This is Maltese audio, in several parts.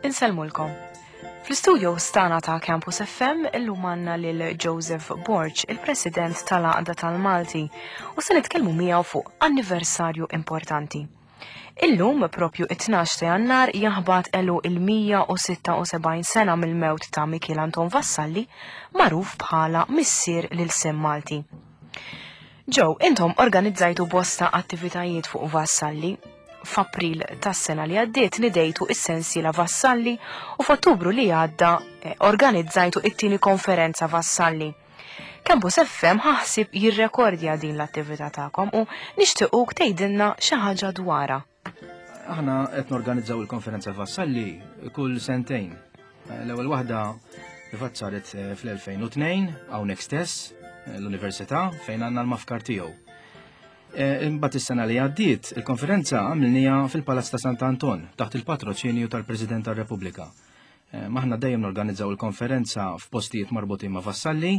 Insellmulkom. Fl-istudio stana ta' Campus FM illum għandna lil Joseph Borg, il-President tal-Għaqda tal-Malti, u se nitkellmu miegħu fuq anniversarju importanti. Illum, propju it-12 ta' Jannar, jaħbat għeluq il-176 sena mill-mewt ta' Mikiel Anton Vassalli, magħruf bħala missier l-ilsien Malti. Joe, intom organizzajtu bosta attivitajiet fuq Vassalli. F'April tas-sena li għaddiet nidejtu is-sensiela Vassalli u f'Ottubru li għadda eh, organizzajtu it-tieni konferenza Vassalli. Campus FM ħa ħsieb jirrekordja din l-attività tagħkom u nixtiequk tgħidilna xi ħaġa dwarha. Aħna qed norganizzaw il-konferenza Vassalli kull sentejn. L-ewwel waħda fatt saret eh, fl-2002 hawnhekk stess eh, l-Università fejn għandna l-mafkar tiegħu. Eh, imbagħad is-sena li għaddiet, il-konferenza għamilniha fil-Palazz ta' Sant'Anton taħt il-patroċinju tal-President tar-Repubblika. Eh, maħna dejjem norganizzaw il-konferenza f'postijiet marbutin ma' Vassalli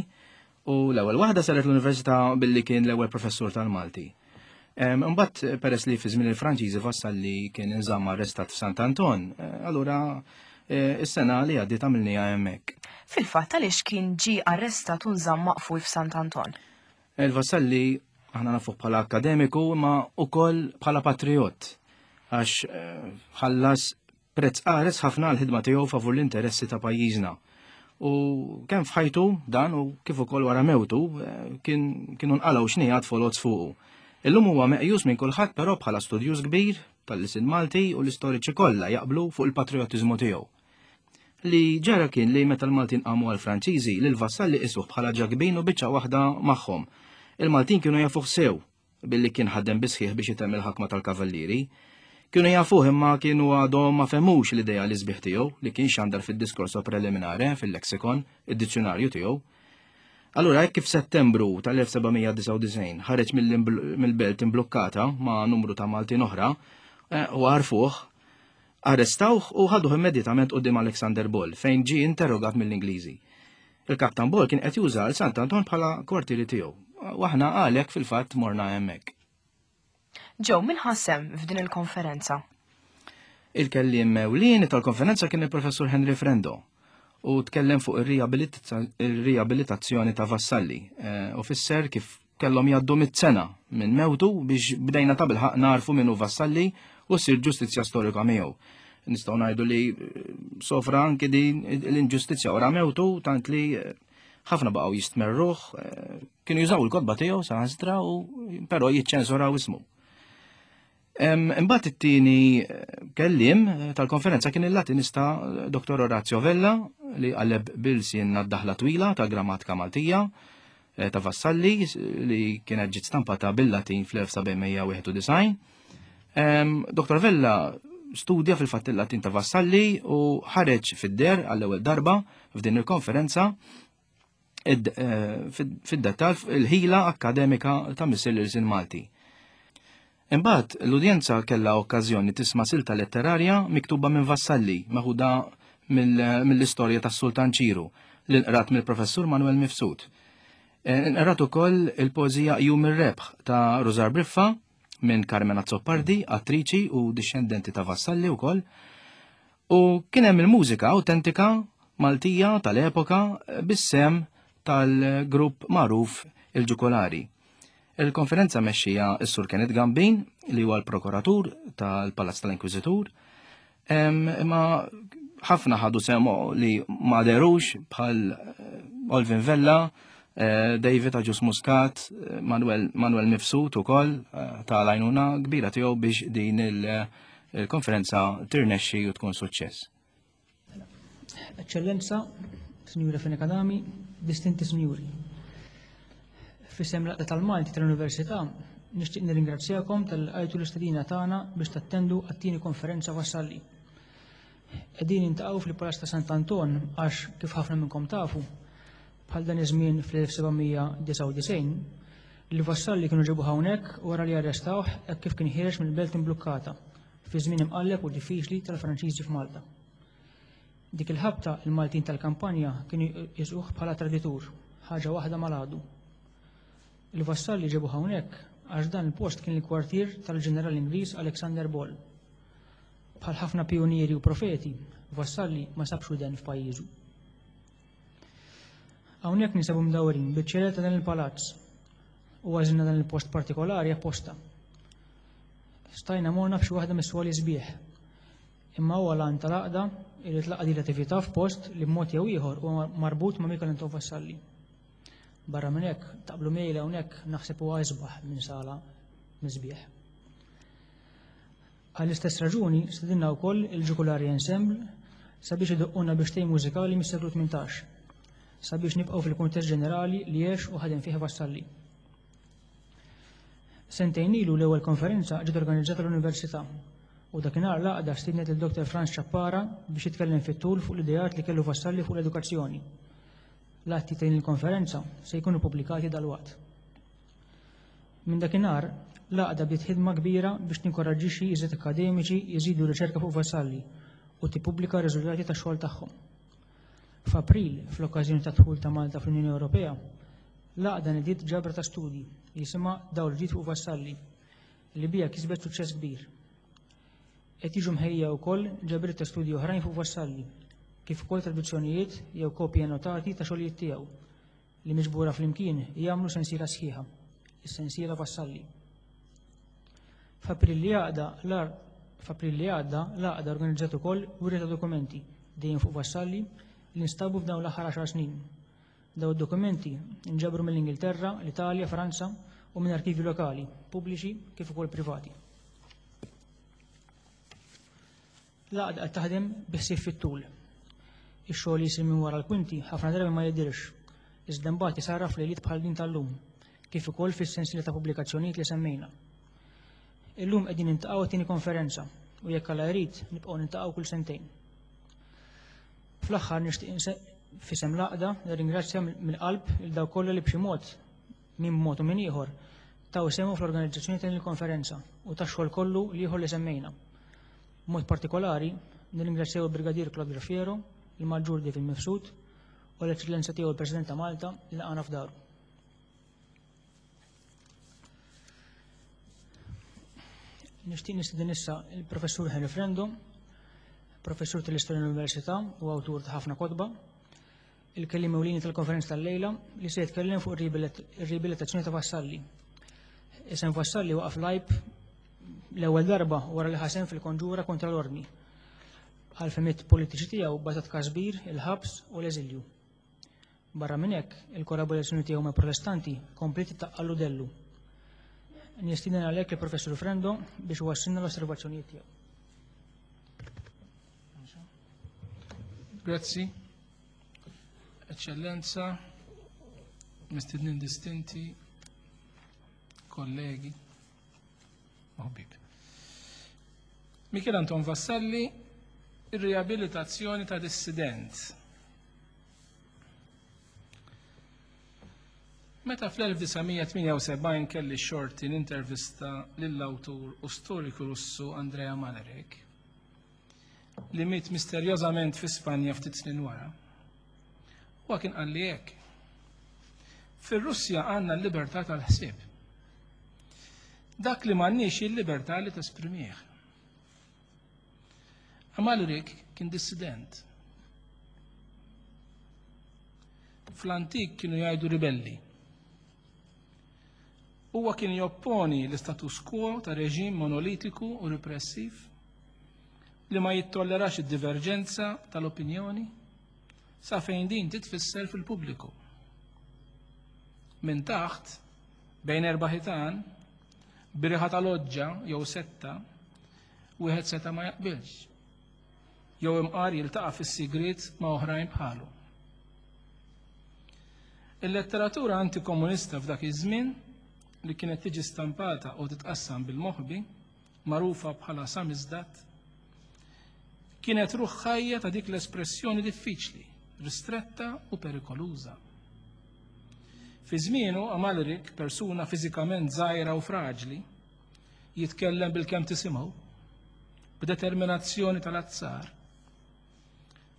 u l-ewwel waħda saret l-università billi kien l-ewwel professur tal-Malti. Imbagħad peress li fi żmien il-Franċiżi Vassalli kien inżamm arrestat f'Sant Anton, eh, allura eh, is-sena li għaddiet għamilniha hemmhekk. Fil-fatt għaliex kien ġie arrestat u nżamm maqful f'Sant Anton? Il-Vassalli aħna nafuh bħala akademiku imma ukoll bħala patriot għax ħallas Prezz qares ħafna għall-ħidma tiegħu favur l-interessi ta' pajjiżna. U kemm f'ħajtu dan u kif ukoll wara mewtu eh, kien kienu nqalgħu xnijat foloz fuqu. Illum huwa meqjus minn kulħadd però bħala studjuż kbir tal-lisin Malti u l-istoriċi kollha jaqblu fuq il-patrijotiżmu tiegħu. Li ġara kien li meta l-Maltin qamu għall-Franċiżi, lil Vassalli qisuh bħala ġakbin u biċċa waħda magħhom. Il-Maltin kienu jafuh sew billi kien ħadem bisħieħ biex itemm il-ħakma tal-kavallieri. Kienu jafuh imma kienu għadhom ma fehmux l-idea li sbieħ tiegħu li kien xandar fid-diskorso preliminare fil-lexikon, id-dizzjonarju tiegħu. Allura hekk kif Settembru tal-1799 ħareġ mill-belt imblukkata ma' numru ta' Maltin oħra eh, u għarfuh, arrestawh u ħaduh immedjatament quddiem Alexander Ball fejn ġie interrogat mill-Ingliżi. Il-Kaptan Ball kien qed juża l Sant Anton bħala kwartieri tiegħu. U aħna għalhekk fil-fatt morna hemmhekk. Joe, min ħa sehem f'din il-konferenza? Il-kelliem ewlieni tal-konferenza kien il-Professur Henry Frendo u tkellem fuq ir-riabilitazzjoni ta' Vassalli eh, u fisser kif kellhom jgħaddu mit-sena minn mewtu biex bdejna ta' bilħaq narfu minnu Vassalli u ssir ġustizzja storika miegħu. Nistgħu ngħidu li eh, sofra anki din l-inġustizzja wara mewtu tant li eh, ħafna baqgħu jistmerruh, eh, kienu jużaw il-kotba tiegħu saħansitra u però jiċċensuraw ismu. Imbagħad it-tieni kelliem tal-konferenza kien il-Latinista Dr. Orazio Vella li qaleb bil-sien d-daħla twila tal-grammatika Maltija eh, ta' Vassalli li kienet ġiet stampata bil-Latin fl-1791. Dr. Vella studja fil-fatt il-Latin ta' Vassalli u ħareġ fid-der għall-ewwel darba f'din il-konferenza eh, fid-dettal il-ħila akkademika ta' Missier l-Irsin Malti. Imbagħad l-udjenza kellha okkażjoni tisma' silta letterarja miktuba minn Vassalli meħuda mill-istorja tas-Sultan Ċiru li nqrat mill-Professur Manuel Mifsud. Eh, nqrat ukoll il-poeżija Jum ir-Rebħ ta' Rużar Briffa minn Carmen Azzopardi, attriċi u dixxendenti ta' Vassalli wkoll. U kien hemm il-mużika awtentika Maltija tal-epoka bis-sem tal-grupp magħruf il-Ġukolari. Il-konferenza mexxija s-Sur Kenneth Gambin li huwa l-prokuratur tal-Palazz tal-Inkwiżitur. Imma ħafna ħadu semo li ma derux bħal eh, Olvin Vella, eh, David Aġus Muscat, eh, Manuel, Manuel Mifsud ukoll ta' lajnuna kbira tiegħu biex din il-konferenza tirnexxi u tkun suċċess. Eċċellenza, Sinjura Fenech Adami, distinti sinjuri. Fisem l-Għaqda tal-Malti tal-Università, nixtieq nirringrazzjakom tal-għajtu l-istedina tagħna biex tattendu għat-tieni konferenza Vassalli. Qegħdin nintaqgħu fil-Palazz ta' Sant'Anton għax kif ħafna minnkom tafu, bħal dan iż-żmien fl-1799, li Vassalli kienu ġabuh hawnhekk wara li arrestawh hekk kif kien ħiereġ mill-belt imblukkata fi żmien imqalleb u diffiċli tal-Franċiżi f'Malta. Dik il-ħabta il-Maltin tal-kampanja kienu jqisuh bħala traditur, ħaġa waħda mal-għadu. Il-Vassalli ġabuh hawnhekk. għax dan il-post kien il-kwartier tal-Ġeneral Ingliż Alexander Ball. Bħal ħafna pijunieri u profeti, Vassalli ma sabx widen f'pajjiżu. Hawnhekk ninsabu mdawrin biċ-ċelel ta' dan il-palazz u għażilna dan il-post partikolari apposta. Stajna morna f'xi waħda mis-swali sbieħ. Imma huwa l-għan tal-għaqda li tlaqqa' din l-attività f'post li b'mod jew ieħor huwa marbut ma' Michael Anton Vassalli. Barra minn hekk, taqblu miegħi li hawnhekk naħseb huwa isbaħ minn sala misbieħ. Għall-istess raġuni stedinna wkoll il-Ġukulari Ensemble sabiex idoqquna biex mużikali mis-seklu 18 sabiex nibqgħu fil-kuntest ġenerali li għex u ħadem fih Vassalli. Sentejn ilu l-ewwel konferenza ġiet organizzata l-Università u dakinhar l-għaqda stiednet lil Dr. Franz Ciappara biex jitkellem fit-tul fuq l-ideat li kellu Vassalli fuq l-edukazzjoni. L-atti ta' din il-konferenza se jkunu pubblikati dalwaqt. Minn dakinhar, l-għaqda bdiet ħidma kbira biex tinkoraġġixxi iżjed akademiċi jżidu r-riċerka fuq Vassalli u tippubblika r-riżultati tax-xogħol tagħhom. F'April, fl-okkażjoni tad-dħul ta' Malta fl-Unjoni Ewropea, l-għaqda nediet ġabra ta' studji jisimha Dawl Ġdid fuq Vassalli, li biha kisbet suċċess kbir. Qed jiġu mħejja wkoll ġabriet ta' studji oħrajn fuq Vassalli, kif ukoll traduzzjonijiet jew kopji annotati ta' xogħlijiet tiegħu, li miġbura flimkien jagħmlu sensiela sħiħa, is-sensiela Vassalli. F'April li għadda f'April li għadda l-għaqda organizzat ukoll wirja ta' dokumenti dejjem fuq Vassalli li nstabu f'dawn l-aħħar 10 snin. Daw id-dokumenti nġabru mill-Ingilterra, l-Italja, Franza u minn arkivi lokali, pubbliċi kif ukoll privati. L-għaqda qed taħdem bi ħsieb fit-tul. Ix-xogħol li jsir minn wara l-kwinti ħafna drabi ma jidhirx, iżda mbagħad isarraf f'lejliet bħal din tal-lum, kif ukoll fis-sensiela ta' pubblikazzjonijiet li semmejna. Illum qegħdin niltaqgħu għat-tieni konferenza u jekk Alla jrid nibqgħu niltaqgħu kull sentejn. Fl-aħħar nixtieq f'isem l-għaqda nirringrazzja mill-qalb lil dawk kollha li b'xi mod min b'mod u min ieħor, taw sehemhom fl-organizzazzjoni ta' din il-konferenza u tax-xogħol kollu l-ieħor li semmejna. B'mod partikolari, nirringrazzjaw il-Brigadier Claude Graffiero, il-Maġġur David Mifsud u l-Eċċellenza tiegħu il-President ta' Malta li laqana f'daru. Nixtieq nistieden issa il-Professur Henry Frendo, professur tal-Istorja l-Università u awtur ta' ħafna kotba, il-kelliem ewlieni tal-konferenza tal-lejla li se jitkellem fuq ir-riabilitazzjoni ta' Vassalli. Isem Vassalli waqaf lajb l-ewwel darba wara li ħasem fil-konġura kontra l-ordni. Għal-femiet politiċi tiegħu batat kasbir, il-ħabs u l-eżilju. Barra minn hekk, il-kollaborazzjoni tiegħu ma' protestanti kompliet taqqallu dellu. Nistieden għalhekk il-Professur Frendo biex wassilna l-osservazzjonijiet tiegħu. Grazzi. Eċċellenza, mistednin distinti, kollegi, ħbib. Michel Anton Vassalli, ir-riabilitazzjoni ta' dissident. Meta fl-1978 kelli xorti nintervista lill-awtur u storiku Russu Andrea Malerek, li miet misterjożament fi Spanja ftit snin wara. Huwa kien qalli hekk. Fir-Russja għandna l-libertà tal-ħsieb. Dak li m'għandniex il-libertà li tesprimih. Amalrik kien dissident. Fl-antik kienu jgħidu ribelli. Huwa kien jopponi l-istatus quo ta' reġim monolitiku u repressiv li ma jittollerax id-diverġenza tal-opinjoni sa fejn din titfisser fil-pubbliku. Minn taħt, bejn erba' ħitan, b'riħa ta' loġġa jew setta, wieħed seta' ma jaqbilx. Jew imqar jiltaqa' fis-sigriet ma' oħrajn bħalu. Il-letteratura antikomunista f'dak iż-żmien li kienet tiġi stampata u titqassam bil-moħbi magħrufa bħala samizdat, kienet ruħ ħajja ta' dik l-espressjoni diffiċli, ristretta u perikoluża. Fi żmienu Amalrik, persuna fiżikament żgħira u fraġli, jitkellem bil-kemm tisimgħu, b'determinazzjoni tal-azzar,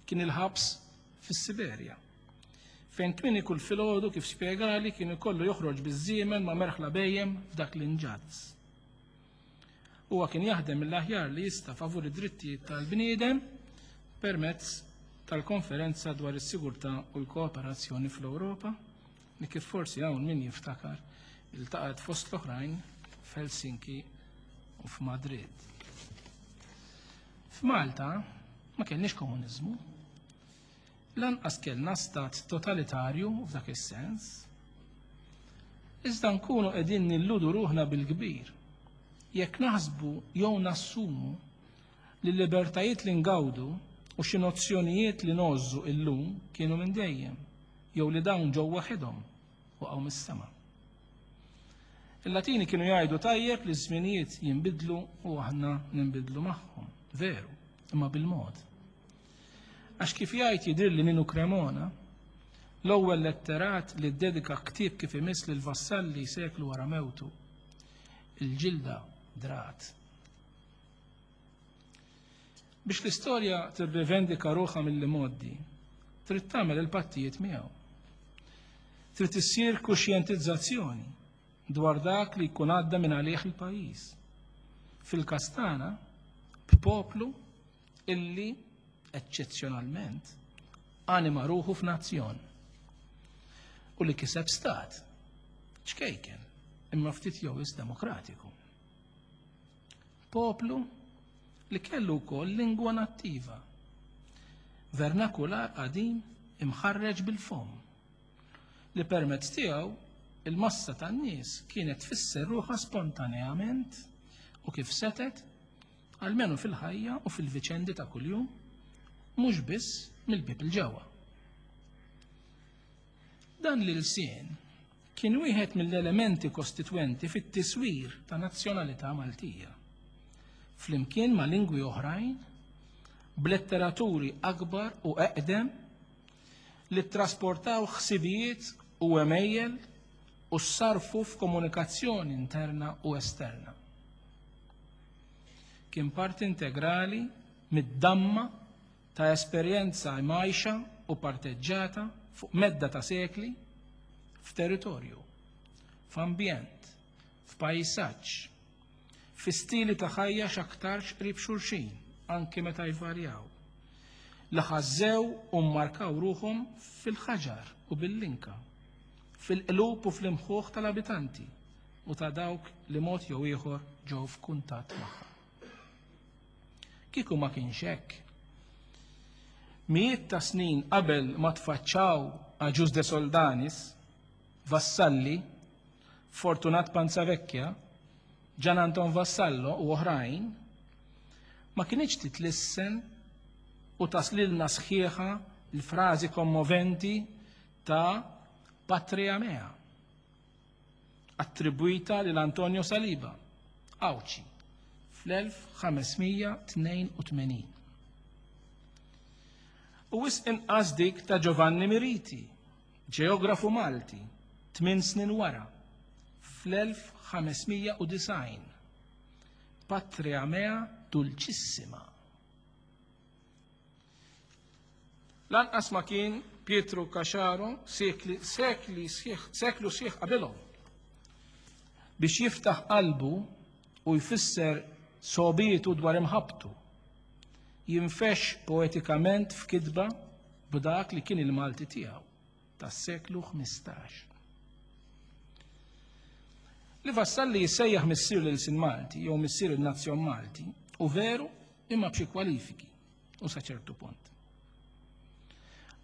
kien il-ħabs fis-Siberja. fejn kmieni kull filgħodu kif spjegali kien ikollu joħroġ biż-żiemel ma' merħla bhejjem f'dak l-inġazz. Huwa kien jaħdem mill-aħjar li jista' favur id-drittijiet tal-bniedem permezz tal-Konferenza dwar is-Sigurtà u l-Kooperazzjoni fl-Ewropa li kif forsi hawn min jiftakar iltaqgħet fost l-oħrajn f'Helsinki u f'Madrid. F'Malta ma kellniex komuniżmu, Lanqas kellna stat totalitarju f'dak is-sens. Iżda nkunu qegħdin nilludu ruħna bil-kbir jekk naħsbu jew nassumu li l-libertajiet li ngawdu u xi nozzjonijiet li ngħożżu illum kienu minn dejjem jew li dawn ġew waħedhom waqgħu mis-sema. Il-Latini kienu jgħidu tajjeb li ż-żminijiet jinbidlu u aħna ninbidlu magħhom. Veru, imma bil-mod. Għax kif jgħid jidhirli Ninu Cremona, l-ewwel letterat li ddedika ktieb kif imiss lil Vassalli seklu wara mewtu, il-ġilda drat. Biex l-istorja tirrivendika ruħha mill-imgħoddi, trid tagħmel il-pattijiet miegħu. Trid issir kuxjentizzazzjoni dwar dak li jkun għadda minn għalih il-pajjiż. Fil-każ tagħna, b'poplu illi eċċezzjonalment anima ruħu f'nazzjon u li kiseb stat ċkejken imma ftit jew demokratiku. Poplu li kellu wkoll lingwa nattiva, vernakular qadim imħarreġ bil-fomm, li permezz tiegħu il-massa tan-nies kienet tfisser ruħha spontaneament u kif setet almenu fil-ħajja u fil-viċendi ta' kuljum, mhux biss mill-bieb 'il ġewwa. Dan l-ilsien kien wieħed mill-elementi kostitwenti fit-tiswir ta' nazzjonalità Maltija, flimkien ma' lingwi oħrajn b'letteraturi akbar u eqdem li ttrasportaw ħsibijiet u għemejjel u ssarrfu f'komunikazzjoni interna u esterna. Kien parti integrali mid-damma ta' esperjenza mgħajxa u parteġġata fuq medda ta' sekli f'territorju, f'ambjent, f'pajsaġġ, fi stili ta' ħajja x'aktarx qrib xulxin, anki meta jvarjaw, li ħażżew u mmarkaw ruħhom fil-ħaġar u bil-linka, fil-qlub u fl-imħuħ tal-abitanti u ta' dawk li mod jew ieħor ġew f'kuntatt magħha. Kieku ma kienx hekk, mijiet ta' snin qabel ma tfaċċaw Agius de Soldanis, Vassalli, Fortunat Panzavecchia, Gian Anton Vassallo u oħrajn, ma kinitx titlissen u taslilna sħiħa l-frażi kommoventi ta' Patria mea. attribwita lil Antonio Saliba, Għawdxi, fl-1582. U wisq inqas dik ta' Giovanni Miriti, ġeografu Malti, tmien snin wara, fl-1590. Patria mea dulcissima. Lanqas ma kien Pietru Caxaro sekli, sekli sħiħ, seklu sħiħ qabilhom biex jiftaħ qalbu u jfisser sobietu dwar imħabbtu. Jinfex poetikament f'kitba b'dak li kien il-Malti tiegħu tas-seklu 15. Li Vassalli jissejjaħ missier l-ilsien Malti jew missier il-nazzjon Malti u veru imma b'xi kwalifiki u sa ċertu punt.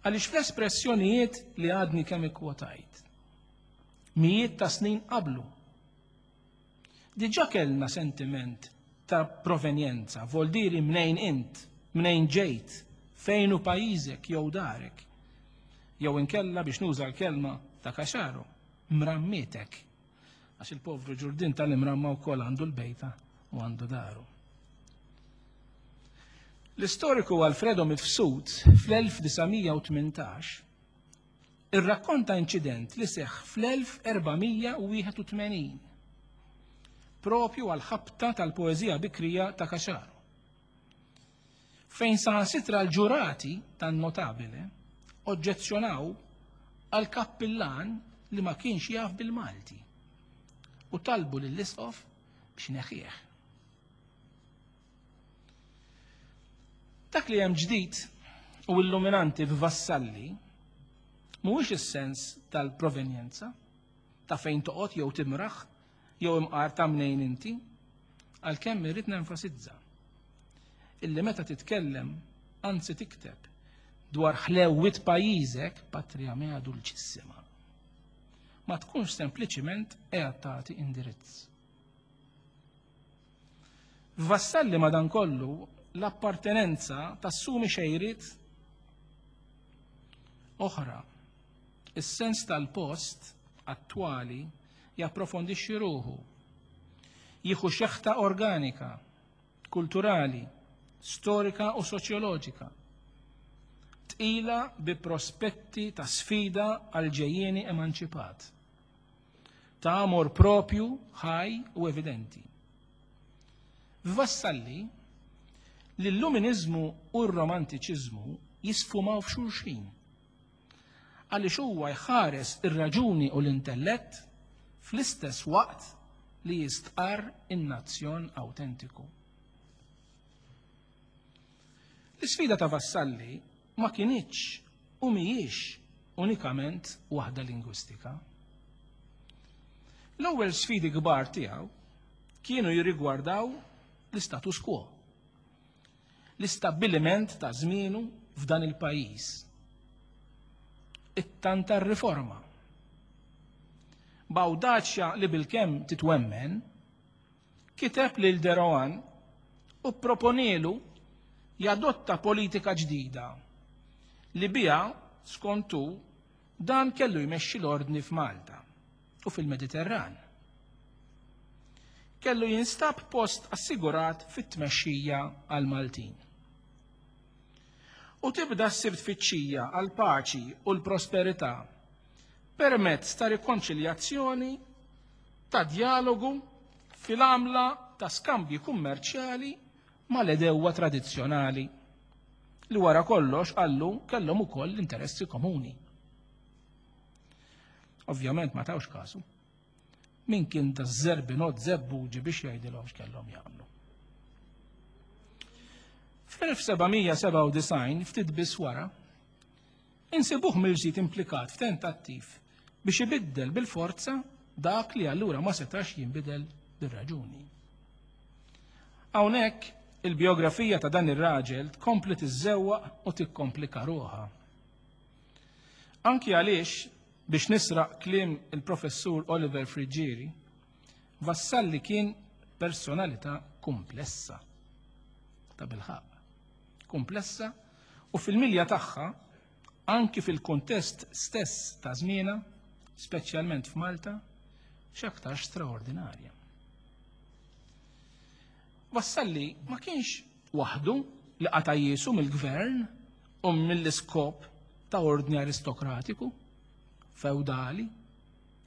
Għaliex fl-espressjonijiet li għadni kemm ikkwotajt, mijiet ta' snin qablu, diġà kellna sentiment ta' provenjenza, voldiri mnejn int, mnejn ġejt, fejn hu pajjiżek jew darek. Jew inkella biex nuża l-kelma ta' Caxaro, mrammietek. Għax il-povru ġurdin tal-imramma wkoll għandu l-bejta u għandu daru. L-istoriku Alfredo Mifsud fl-1918 irrakkonta inċident li seħħ fl-1481 propju għal-ħabta tal-poeżija bikrija ta' Caxaro. Fejn saħansitra l-ġurati tan-notabile oġġezzjonaw għal kappillan li ma kienx jaf bil-Malti u talbu lill-isqof biex ineħħih. Dak li hemm ġdid u illuminanti f'Vassalli mhuwiex is-sens tal-provenjenza, ta' fejn toqgħod jew timraħ jew imqar ta' mnejn inti, għalkemm irrid nenfasizza illi meta titkellem, anzi tikteb, dwar ħlewwiet pajjiżek, patria mea dulcissima, ma tkunx sempliċiment qiegħed tagħti indirizz. F'Vassalli madankollu l-appartenenza tassumi xejriet oħra. Is-sens tal-post attwali japprofondixxi ruħu, jieħu xeħta organika, kulturali, storika u soċjoloġika, tqila bi prospetti ta' sfida għal ġejjieni emanċipat. ta' amor propju, ħaj u evidenti. F'Vassalli, l-Illuminiżmu u r-Romantiċiżmu jisfumaw f'xulxin għaliex huwa jħares ir-raġuni u l-intellett fl-istess waqt li jistqarr in-nazzjon awtentiku. L-isfida ta' Vassalli ma kinitx u mhijiex unikament waħda lingwistika. L-ewwel sfidi kbar tiegħu kienu jirrigwardaw l-istatus quo, l-istabbiliment ta' żmienu f'dan il-pajjiż, it-tanta riforma. B'awdaċja li bilkemm titwemmen, kiteb lil De Rohan u pproponielu jadotta politika ġdida li biha, skont hu, dan kellu jmexxi l-ordni f'Malta u fil-Mediterran. Kellu jinstab post assigurat fit-tmexxija għall-Maltin. U tibda ssir tfittxija għall-paċi u l-prosperità permezz ta' rikonċiljazzjoni ta' djalogu fil-għamla ta' skambji kummerċjali mal-għedewwa tradizzjonali li wara kollox qallu kellhom ukoll interessi komuni. Ovvjament ma tawx kasu. Min kien ta' zerbinot zebbuġi biex jgħidilhom x'kellhom jagħmlu. Fl-1797, ftit biss wara, Insibuh mill-ġdid implikat f'tentattiv biex ibiddel bil-forza dak li allura ma setax jinbidel bir-raġuni. Hawnhekk il-bijografija ta' dan ir-raġel tkompli tiżżewwaq u tikkomplika ruħha. Anki għaliex biex nisraq kliem il-professur Oliver Friggieri, Vassalli kien personalità komplessa. Ta' bilħaq. Komplessa u fil-milja tagħha, anki fil-kuntest stess ta' żmienha, speċjalment f'Malta, x'aktarx straordinarja. Vassalli ma kienx waħdu li qata' jiesu mill-gvern u mill-iskop ta' ordni aristokratiku, feudali,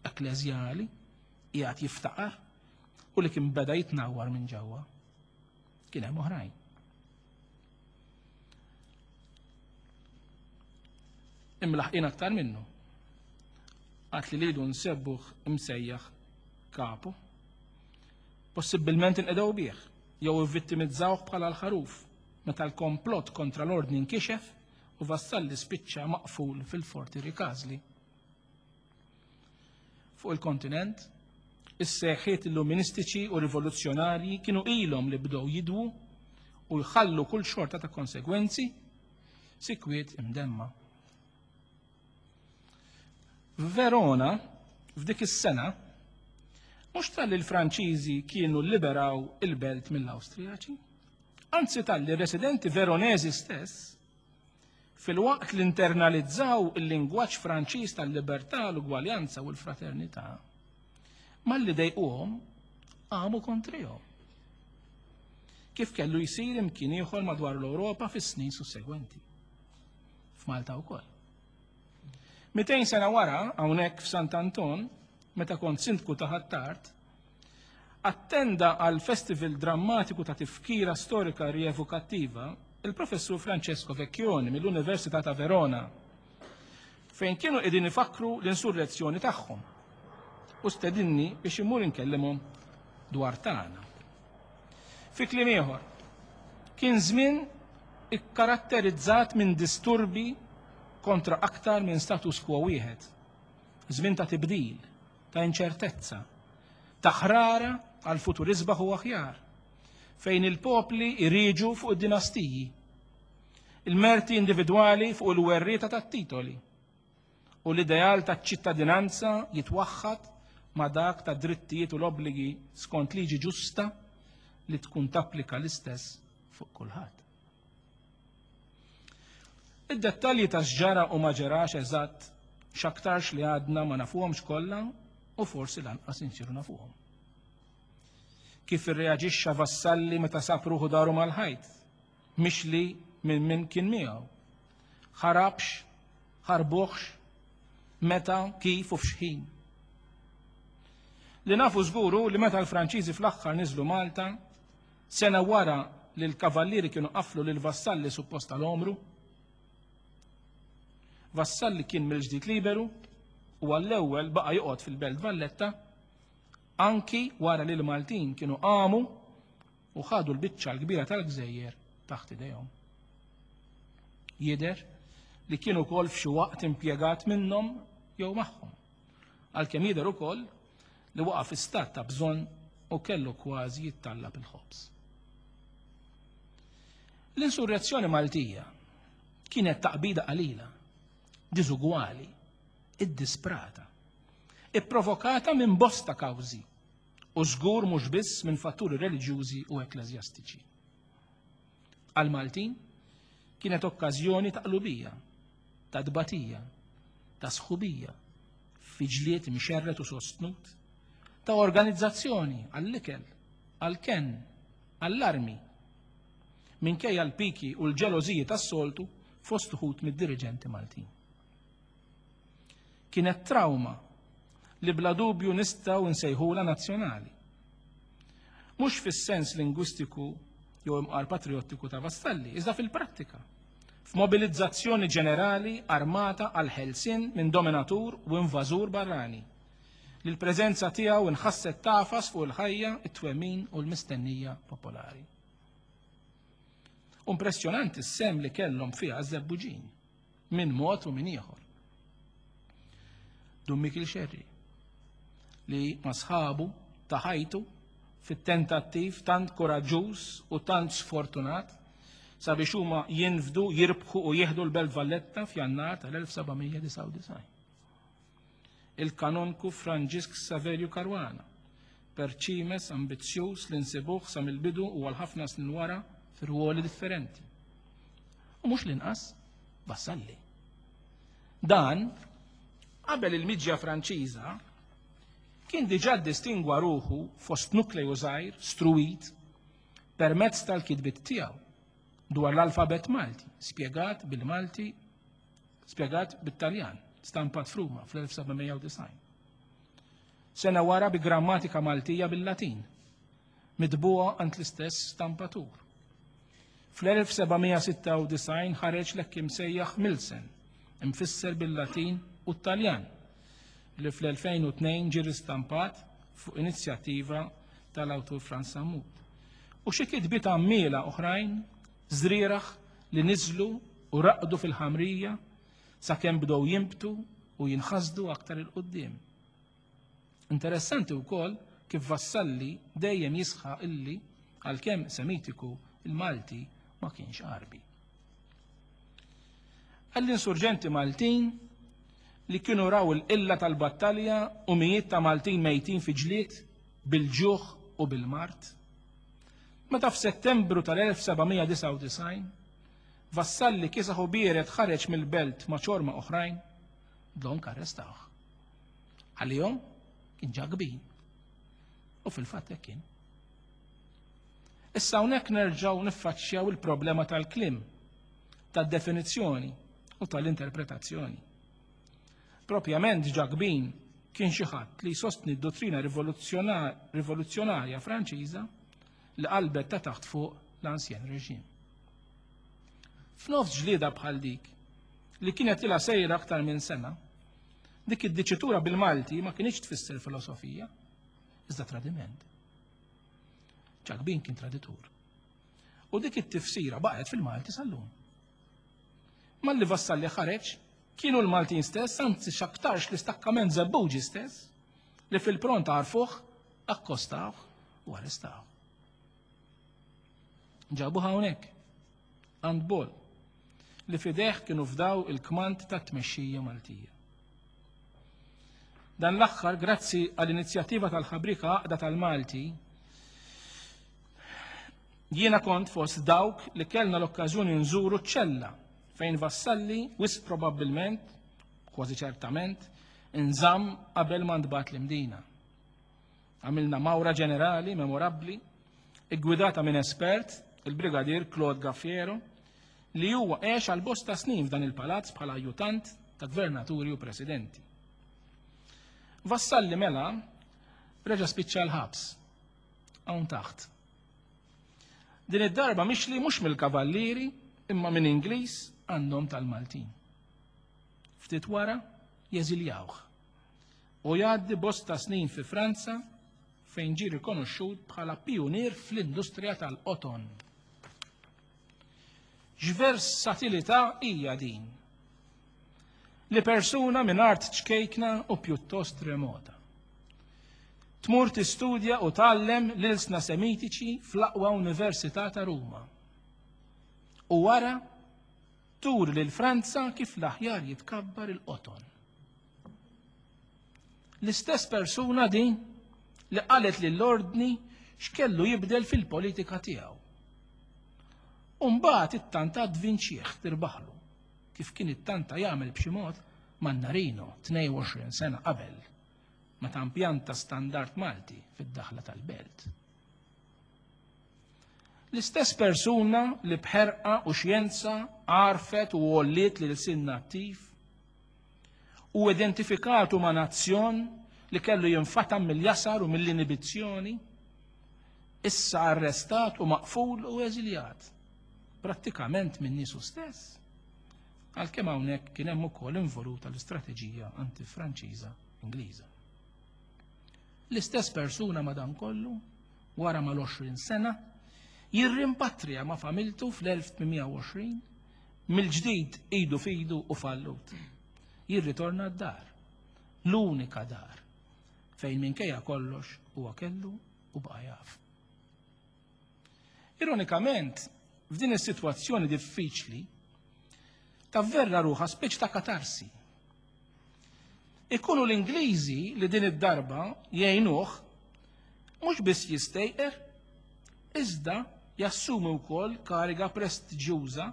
ekkleżjali, qiegħed jiftaqar u li kien beda jitnawwar minn ġewwa. Kien hemm oħrajn. Imlaħqin aktar minnu. Għat li lilu nsebbuh imsejjaħ kapu. Possibbilment inqedew bih, jew ivvittimizzawh bħala l-ħaruf, meta l-komplott kontra l-ordni nkixef u Vassalli spiċċa maqful fil-Forti Rikażli. Fuq il-kontinent, is-seħħiet illuministiċi u rivoluzzjonarji kienu ilhom li bdew jidwu u jħallu kull xorta ta' konsegwenzi sikwiet imdemma. F'Verona, f'dik is-sena, mhux talli l-Franċiżi kienu lliberaw il-belt mill-Awstrijaċi, anzi talli r-residenti Veronesi stess Filwaqt li internalizzaw il-lingwaġġ Franċiż tal-libertà, l-ugwaljanza u l-fraternità, malli dejquhom qamu kontrihom. Kif kellu jsir imkien ieħor madwar l-Ewropa fis-snin sussegwenti. F'Malta wkoll. 200 sena wara, hawnhekk f'Sant Anton, meta kont sindku ta' Ħ'Attard, Attenda għal festival drammatiku ta' tifkira storika rievokattiva il-Professur Francesco Vecchioni mill-Università ta' Verona. fejn kienu qegħdin ifakkru l-insurrezzjoni tagħhom u stedinni biex immur inkellimhom dwar tagħna. Fi kliem ieħor, kien żmien ikkaratterizzat minn disturbi kontra aktar minn status quo wieħed. Żmien ta' tibdil, ta' inċertezza, ta' ħrara għal futur isbaħ u aħjar, fejn il-popli iriġu fuq id-dinastiji, il-merti individwali fuq il-werrieta tat-titoli u l-ideal taċ-ċittadinanza jitwaħħad ma' dak ta' drittijiet u l-obbligi skont liġi ġusta li tkun tapplika l-istess fuq kulħadd. Id-dettalji ta' x'ġara u ma ġerax eżatt x'aktarx li għadna ma nafuhomx kollha u forsi lanqas insiru nafuhom. Kif irreaġixxa Vassalli meta sab ruħu daru mal-ħajt, mixli minn min kien miegħu. Ħarabx, ħarbuħx, meta, kif u f'xħin. Li nafu żguru li meta l-Franċiżi fl-aħħar niżlu Malta, sena wara li l-kavallieri kienu qaflu lil Vassalli suppost tal-omru, Vassalli kien mill-ġdid liberu u għall-ewwel baqa' joqgħod fil-Belt Valletta anki wara li l-Maltin kienu qamu u ħadu l-biċċa l-kbira tal-gżejjer taħt idejhom. Jidher li kien ukoll f'xi waqt impjegat minnhom jew magħhom. Għalkemm jidher ukoll li waqa' fi stat ta' bżonn u kellu kważi jittallab il-ħobż. L-insurrezzjoni Maltija kienet taqbida qalila, diżugwali, iddisprata, ipprovokata minn bosta kawżi u żgur mhux biss minn fatturi reliġjużi u ekkleżjastiċi. Għal-Maltin kienet okkażjoni ta' qlubija, ta' tbatija, ta' sħubija, fi ġlied imxerred u sostnut, ta' organizzazzjoni għall-ikel, għall-kenn, għall-armi, minkejja l-piki u l-ġelożiji tas-soltu fost uħud mid-diriġenti Maltin. Kienet trawma li bla dubju nistgħu nsejħulha nazzjonali. Mhux fis-sens lingwistiku jew imqar patriottiku ta' Vassalli, iżda fil-prattika. F'mobilizzazzjoni ġenerali armata għal ħelsien minn dominatur u invażur barrani, li l-preżenza tiegħu nħasset tagħfas fuq il-ħajja, it-twemmin u l-mistennija popolari. Impressjonanti s-sem li kellhom fiha ż-żebbuġin minn mod u minn ieħor. Dun Mikil Xerri li ma sħabu ta' ħajtu fit-tentattiv tant koraġġuż u tant sfortunat sabiex huma jinfdu, jirbħu u jieħdu l-Belt Valletta f'Jannar tal-1799. Il-kanonku Franġisk Saverju Caruana, perċimes ambizzjuż li nsibuh sa mill-bidu u għal ħafna snin wara fi rwoli differenti. U mhux l-inqas Vassalli. Dan, qabel il-miġja Franċiża, kien diġà ddistingwa ruħu fost nukleju żgħir struwit permezz tal-kitbiet tiegħu dwar l-alfabett Malti, spjegat bil-Malti, spjegat bit-Taljan, stampat f'Ruma fl-1790. Sena wara bi grammatika Maltija bil-Latin, mitbugħa għand l-istess stampatur. Fl-1796 ħareġ l-hekk imsejjaħ Milsen, imfisser bil-Latin u t-Taljan, li fl-2002 ġie ristampat fuq inizjattiva tal-awtur Frans Sammut. U xi kitbiet għammiela oħrajn, żrieragħ li niżlu u raqdu fil-ħamrija sakemm bdew jinbtu u jinħasdu aktar 'il quddiem. Interessanti wkoll kif Vassalli dejjem jisħaq illi, għalkemm Semitiku, il-Malti ma kienx Għarbi. Għall-insurġenti Maltin li kienu raw il-qilla tal-battalja u mijiet ta' Maltin mejtin fi ġlied bil-ġuħ u bil-mard. Meta f'Settembru tal-1799 Vassalli kiesaħ u biered ħareġ mill-belt ma' ċorma oħrajn, dlonk arrestawh. Għalihom kien ġa kbir. U fil-fatt hekk kien. Issa hawnhekk nerġgħu niffaċċjaw il-problema tal-kliem, tad-definizzjoni u tal-interpretazzjoni. Propjament Ġakbin kien xi ħadd li jsostni d-dottrina rivoluzzjonarja Franċiża li qalbet ta' taħt fuq l-ansjen reġim. F'nofs ġlieda bħal dik, li kienet ilha sejra aktar minn sena, dik id-diċitura bil-Malti ma kinitx tfisser filosofija, iżda tradiment. Ġakbin kien traditur. U dik it-tifsira baqgħet fil-Malti sal-lum. Malli Vassalli ħareġ, kienu l-Maltin stess, anzi x'aktarx l-istakkament Żebbuġi stess, li fil-pront għarfuh, akkostawh u arrestawh. Ġabuh hawnhekk, għand Bol, li fideh kienu fdaw il-kmand tat-tmexxija Maltija. Dan l-aħħar, grazzi għall-inizjattiva tal-ħabrika Għaqda tal-Malti, jiena kont fost dawk li kellna l-okkażjoni nżuru ċ-ċella fejn Vassalli wisq probabbilment, kważi ċertament, inżamm qabel ma ntbagħat l-Imdina. Għamilna mawra ġenerali memorabbli, iggwidata minn espert, il-Brigadier Claude Gaffiero, li huwa għex għal bosta snin f'dan il-palazz bħala ajjutant ta' gvernaturi u presidenti. Vassalli mela reġa' spiċċa l-ħabs hawn taħt. Din id-darba mixli mhux mill-kavallieri imma minn Ingliż għandhom tal-Maltin. Ftit wara jeżiljawh u jgħaddi bosta snin fi Franza fejn ġie rikonoxxut bħala pijunier fl-industrija tal-qoton. X'versatilità hija din? Li persuna minn art ċkejkna u pjuttost remota. Tmur tistudja u tgħallem l-ilsna Semitiċi fl-aqwa Università ta' Ruma. U wara turi lil Franza kif l-aħjar jitkabbar il-qoton. L-istess persuna din li qalet lill-ordni x'kellu jibdel fil-politika tiegħu. U mbagħad ittanta tvinċih tirbaħlu, kif kien ittanta jagħmel b'xi mod Mannarino 22 sena qabel meta impjanta standard Malti fid-daħla tal-belt. L-istess persuna li b'ħerqa u xjenza għarfet u għolliet lil sin nattiv u identifikatu ma' nazzjon li kellu jinfatam mill-jasar u mill-inibizzjoni, issa arrestat u maqful u eżiljat, prattikament minn niesu stess. Għalkemm hawnhekk kien hemm ukoll involuta l-istrateġija anti-Franċiża Ingliża. L-istess persuna madankollu, wara mal-20 sena, jirrimpatrija ma' familtu fl-1820 mill-ġdid idu f'idu u fallut. Jirritorna d-dar, l-unika dar, fejn minkejja kollox huwa kellu u baqa' jaf. Ironikament, f'din is-sitwazzjoni diffiċli, tavverra ruħha speċi ta' katarsi. Ikunu l-Ingliżi li din id-darba jgħinuh mhux biss jistejqer, iżda jassumi wkoll kariga prestiġjuża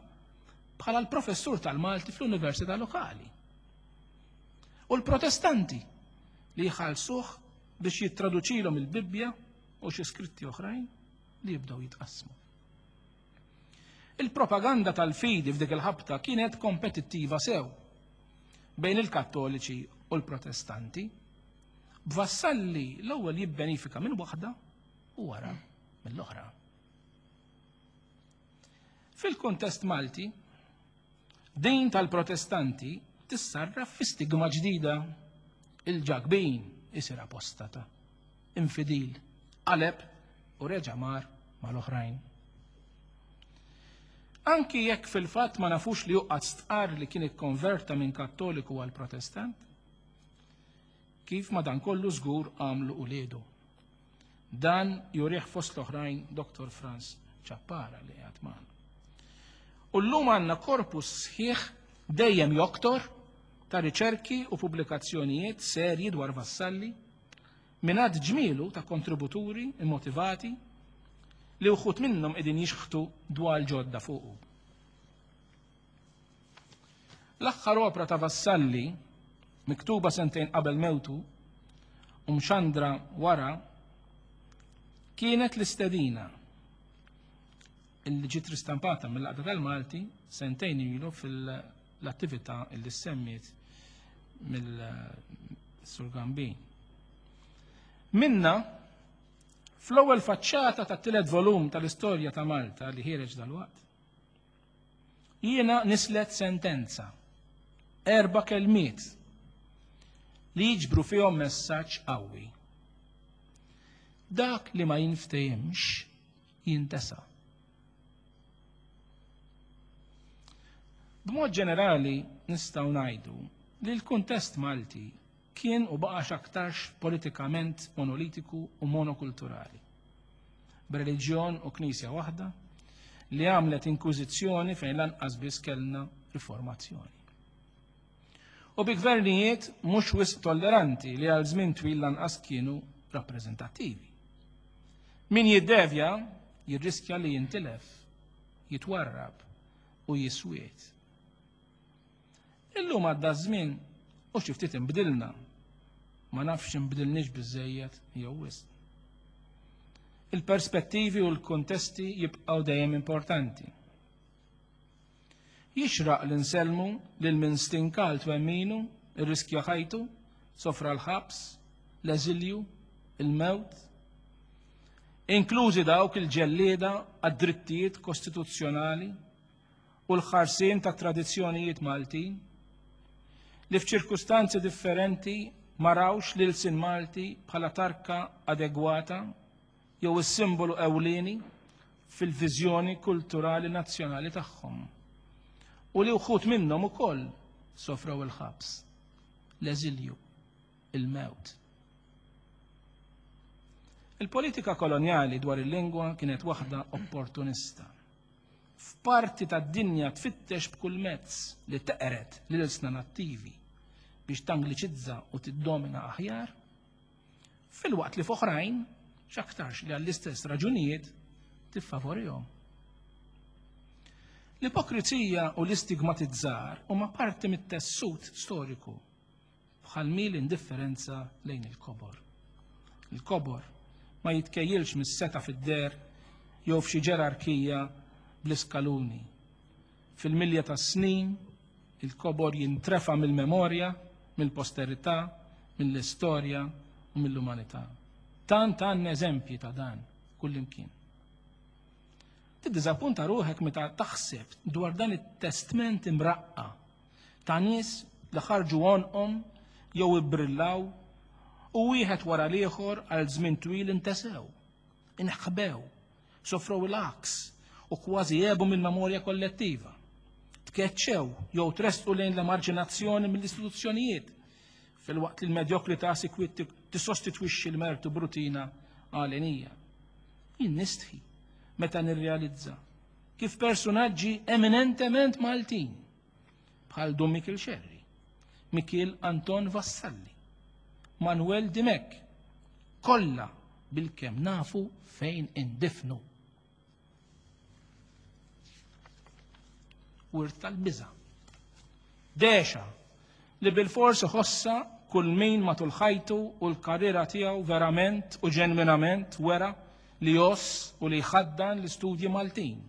bħala l-professur tal-Malti fl-Università lokali. U l-Protestanti li jħallsuh biex jittraduċilhom il-Bibbja u xi skritti oħrajn li jibdew jitqassmu. Il-propaganda tal-fidi f'dik il-ħabta kienet kompetittiva sew bejn il-Kattoliċi u l-Protestanti, b'Vassalli l-ewwel jibbenifika minn waħda u wara mill-oħra. Fil-kuntest Malti, din tal-Protestanti tissarraf fi stigma ġdida. Il-Ġakbin isir apostata, infidil, qaleb u reġa' mar mal-oħrajn. Anki jekk fil-fatt ma nafux li juqqat stqarr li kien ikkonverta minn Kattoliku għal Protestant, kif madankollu żgur għamlu uliedu. Dan jurih fost l-oħrajn Dr. Franz Ciappara li qiegħed magħna. U llum għandna korpus sħiħ dejjem joktor ta' riċerki u pubblikazzjonijiet serji dwar Vassalli minn għadd ġmielu ta' kontributuri immotivati li wħud minnhom qegħdin jixħtu dwal ġodda fuqu. L-aħħar opra ta' Vassalli, miktuba sentejn qabel mewtu u mxandra wara, kienet l-istedina illi ġiet ristampata mill-Għaqda tal-Malti sentejn ilu fil-attività illi semmiet mill-Sur Gambin. Minna, fl-ewwel faċċata tat-tielet volum tal-istorja ta' Malta li ħiereġ dalwaqt, Jiena nislet sentenza. Erba' kelmiet li jiġbru fihom messaġġ qawwi. Dak li ma jinftehimx jintesa. B'mod ġenerali nistgħu ngħidu li l-kuntest Malti kien u baqa' x'aktarx politikament monolitiku u monokulturali. B'reliġjon u knisja waħda li għamlet inkwiżizzjoni fejn lanqas biss kellna riformazzjoni. U bi gvernijiet mhux wisq tolleranti li għal żmien twil lanqas kienu rappreżentattivi. Min jiddevja jirriskja li jintilef, jitwarrab u jiswiet. Illum għadda żmien u xi ftit inbdilna. Ma nafx inbdilniex biżejjed jew wisq. Il-perspettivi u l-kuntesti jibqgħu dejjem importanti. Jixraq li nsellmu lil min stinka għal twemminu, irriskja ħajtu, sofra l-ħabs, l-eżilju, il-mewt, inklużi dawk il-ġellieda għad-drittijiet kostituzzjonali u l-ħarsien ta' tradizzjonijiet Maltin, li f'ċirkustanzi differenti ma rawx l-ilsien Malti bħala tarka adegwata jew is-simbolu ewlieni fil-viżjoni kulturali nazzjonali tagħhom u li wħud minnhom ukoll sofrew il-ħabs, l-eżilju, il-mewt. Il-politika kolonjali dwar il-lingwa kienet waħda opportunista. F'parti tad-dinja tfittex b'kull mezz li teqred lil-ilsna nattivi biex tangliċizza u tiddomina aħjar, filwaqt li f'oħrajn x'aktarx li għall-istess raġunijiet tiffavorihom. L-ipokrizija u l-istigmatizzar huma parti mit-tessut storiku bħal mi l-indifferenza lejn il-kobor. Il-kobor ma jitkejjilx mis-seta fid-der jew f'xi ġerarkija bl-iskaluni. Fil-milja tas-snin, il-kobor jintrefa' mill-memorja, mill-posterità, mill-istorja u mill-umanità. Tant għandna eżempji ta' dan kullimkien. Tiddiżappunta ruħek meta taħseb dwar dan it-testment imraqqa ta' nies li ħarġu għonqhom jew ibbrillaw u wieħed wara l-ieħor għal żmien twil intesew, inħbew, sofrew il-għaks u kważi għebu mill-memorja kollettiva. Tkeċċew jew tressqu lejn l-emarġinazzjoni mill-istituzzjonijiet filwaqt li l-medjokrità sikwit tissostitwixxi l-mertu b'rutina għalenija. Jien nistħi meta nirrealizza kif persunaġġi eminentement Maltin bħal Dun Mikiel Xerri, Mikiel Anton Vassalli, Manuel Dimech, kollha bilkemm nafu fejn indifnu. Wirt tal-biża'. Dexa li bilfors iħossha kull min matul ħajtu u l-karriera tiegħu verament u ġenwinament wera li jgħożż u li jħaddan l-istudji Maltin.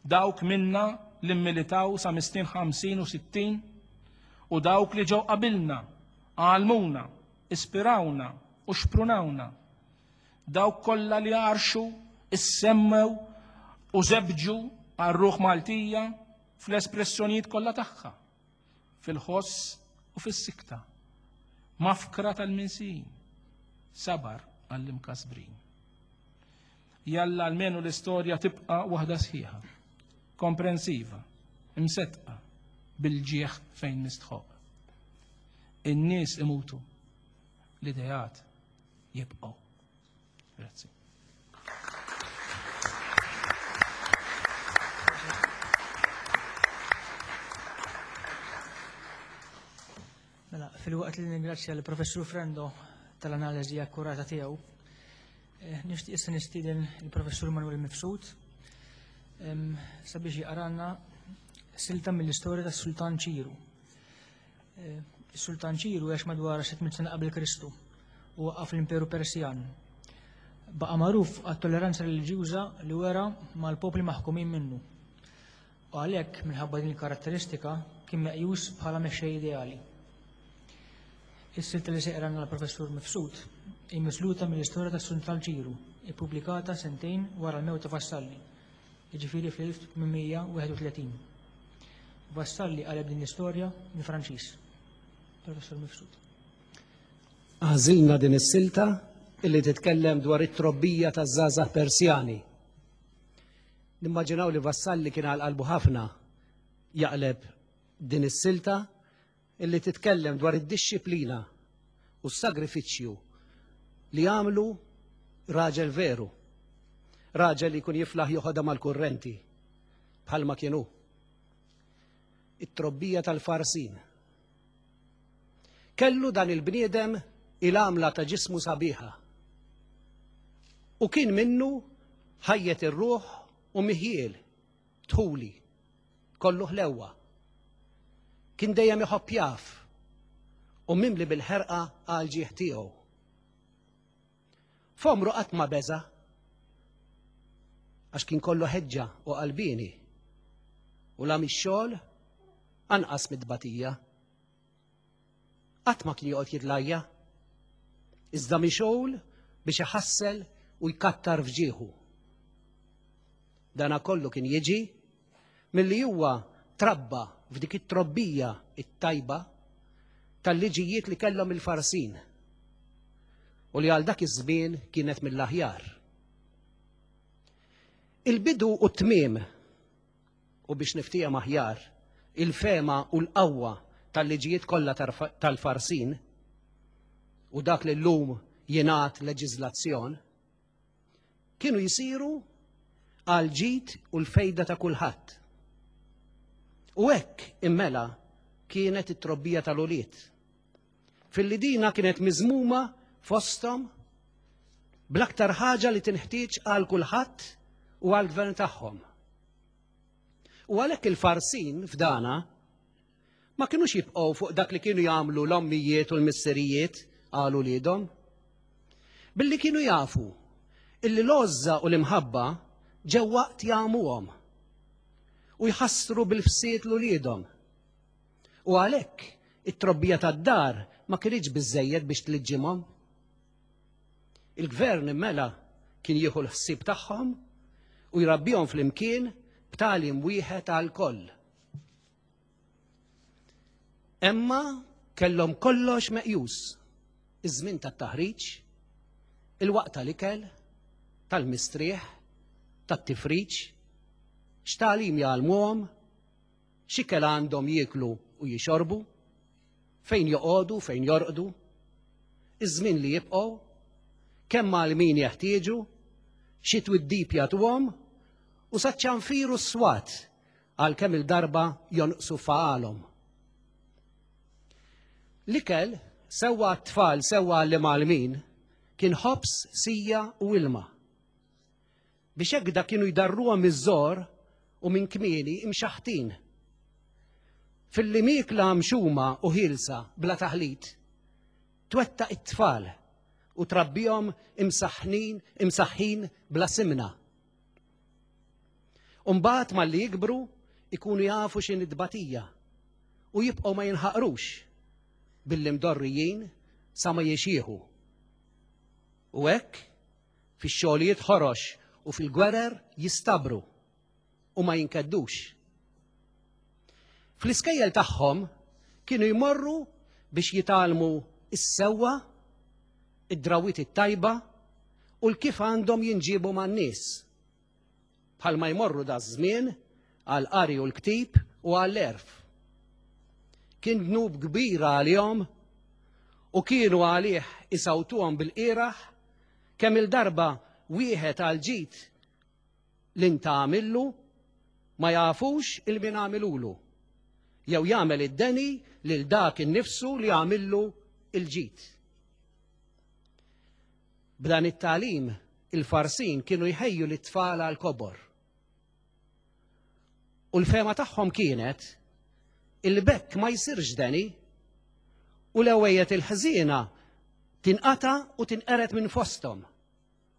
Dawk minna li mmilitaw sa mis-snin 50 u 60 u dawk li ġew qabilna, għallmuna, ispirawna u xprunawna. Dawk kollha li għarxu, issemmew u żebġu għar-ruħ Maltija fl-espressjonijiet kollha tagħha, fil-ħoss u fis-sikta. Mafkra tal-minsijin, sabar għall-imkasbrin. Jalla almenu l-istorja tibqa' waħda sħiħa, komprensiva, imsettqa, bil-ġieħ fejn mistħoq. In-nies imutu, l-ideat jibqgħu. Grazzi. Mela, fil-waqt li ningrazzja l-Professur Frendo tal-analiżi akkurata tiegħu, eh, nixtieq issa nistieden il-Professur Manuel Mifsud sabiex jaqranna silta mill-istorja tas-Sultan Ċiru. Eh, Is-Sultan Ċiru għex madwar 600 sena qabel Kristu u waqqaf l-Imperu Persjan. Baqa' magħruf għat-tolleranza reliġjuża li wera mal-popli maħkumin minnu. U għalhekk, minħabba din il-karatteristika, kien meqjus bħala mexxej ideali. Is-silta li se jqralna l-Professur Mifsud hi misluta mill-istorja tas-Sultan Ċiru, ippubblikata sentejn wara l-mewt ta' Vassalli, jiġifieri fl-1831. Vassalli qaleb din l-istorja mill-Franċiż. Professor Mifsud. Għażilna din is-silta illi titkellem dwar it-trobbija taż-żgħażagħ Persjani. Nimmaġinaw li Vassalli kien għal qalbu ħafna jaqleb din is-silta illi titkellem dwar id-dixxiplina u s-sagrifiċċju li għamlu raġel veru. Raġel li jkun jiflaħ joħodha mal-kurrenti bħalma kienu. It-trobbija tal-Farsin. Kellu dan il-bniedem il-għamla ta' ġismu sabiħa. U kien minnu ħajjet ir-ruħ u miħiel dħuli, kollu ħlewwa. Kien dejjem iħobb jaf u mimli bil-ħerqa għal ġieħ tiegħu. F'għomru qatt ma beża' għax kien kollu ħeġġa u qalbieni u la mix-xogħol anqas mid-tbatija. Qatt ma kien joqgħod jitlajja, iżda mixgħul biex iħassel u jkattar f'ġieħu. Dana kollu kien jiġi milli huwa trabba f'dik it-trobbija it-tajba tal-liġijiet li kellhom il-Farsin u li għal dak iż-żmien kienet mill-aħjar. Il-bidu u t-tmiem u biex niftiehem aħjar il-fehma u l-qawwa tal-liġijiet kollha tal-Farsin u dak li llum jingħad leġiżlazzjon, kienu jsiru għal ġid u l-fejda ta' kulħadd. U hekk immela kienet it-trobbija tal-ulied. Filli dina kienet miżmuma fosthom bl-aktar ħaġa li tinħtieġ għal kulħadd u għall gvern tagħhom. U għalhekk il-Farsin f'dana ma kinux jibqgħu fuq dak li kienu jagħmlu l-ommijiet u l-missirijiet għal uliedhom. Billi kienu jafu illi l-għożża u l-imħabba ġew waqt jagħmuhom u jħassru bil-fsied l-uliedhom. U għalhekk it-trobbija tad-dar ma kinitx biżżejjed biex tliġġimhom. Il-gvern immela kien jieħu l-ħsieb tagħhom u jrabbihom flimkien b'tagħlim wieħed għal koll. Emma kellhom kollox meqjus, iż-żmien tat-taħriġ, il-waqt tal-ikel, tal-mistrieħ, tat-tifriġ, x'tagħlim jgħallmuhom, x'ikel għandhom jieklu u jixorbu, fejn joqogħdu, fejn jorqdu, iż-żmien li jibqgħu, kemm għal min jeħtieġu, xi twiddib jagħtuhom u saċ-ċanfir u s-swat għal kemm il-darba jonqsu faqalhom. L-ikel, sewwa għat-tfal sewwa għall-imgħallmin, kien ħobż, sija u ilma. Biex hekk da kienu jdarruhom miż-żgħor u minn kmieni imxaħħtin. Filli miekla mxuma u ħielsa bla taħlit, twettaq it-tfal u trabbihom imsaħħnin imsaħħin bla simna. U mbagħad malli jikbru ikunu jafu x'inhi tbatija u jibqgħu ma jinħaqrux billi mdorrijin sa ma jixjieħu. U hekk Fix-xogħlijiet ħorox u fil-gwerer jistabru u ma jinkeddux. Fl-iskejjel tagħhom kienu jmorru biex jitgħallmu s-sewwa, id-drawwiet it-tajba u l-kif għandhom jinġiebu man-nies. Bħalma jmorru daż-żmien għall-qari u l-ktib u għall-għerf. Kien dnub kbir għalihom u kienu għalih isawtuhom bil-qieraħ kemm-il darba wieħed għall-ġid li ntgħamillu ma jafux il min għamilulu, jew jagħmel id-deni lil dak innifsu li għamillu il-ġid. B'dan it-tagħlim il-Farsin kienu jħejju lit-tfal għall-kobor. U l-fehma tagħhom kienet illi b'hekk ma jsirx deni u l-ewwejjed il-ħżiena tinqata' u tinqered minn fosthom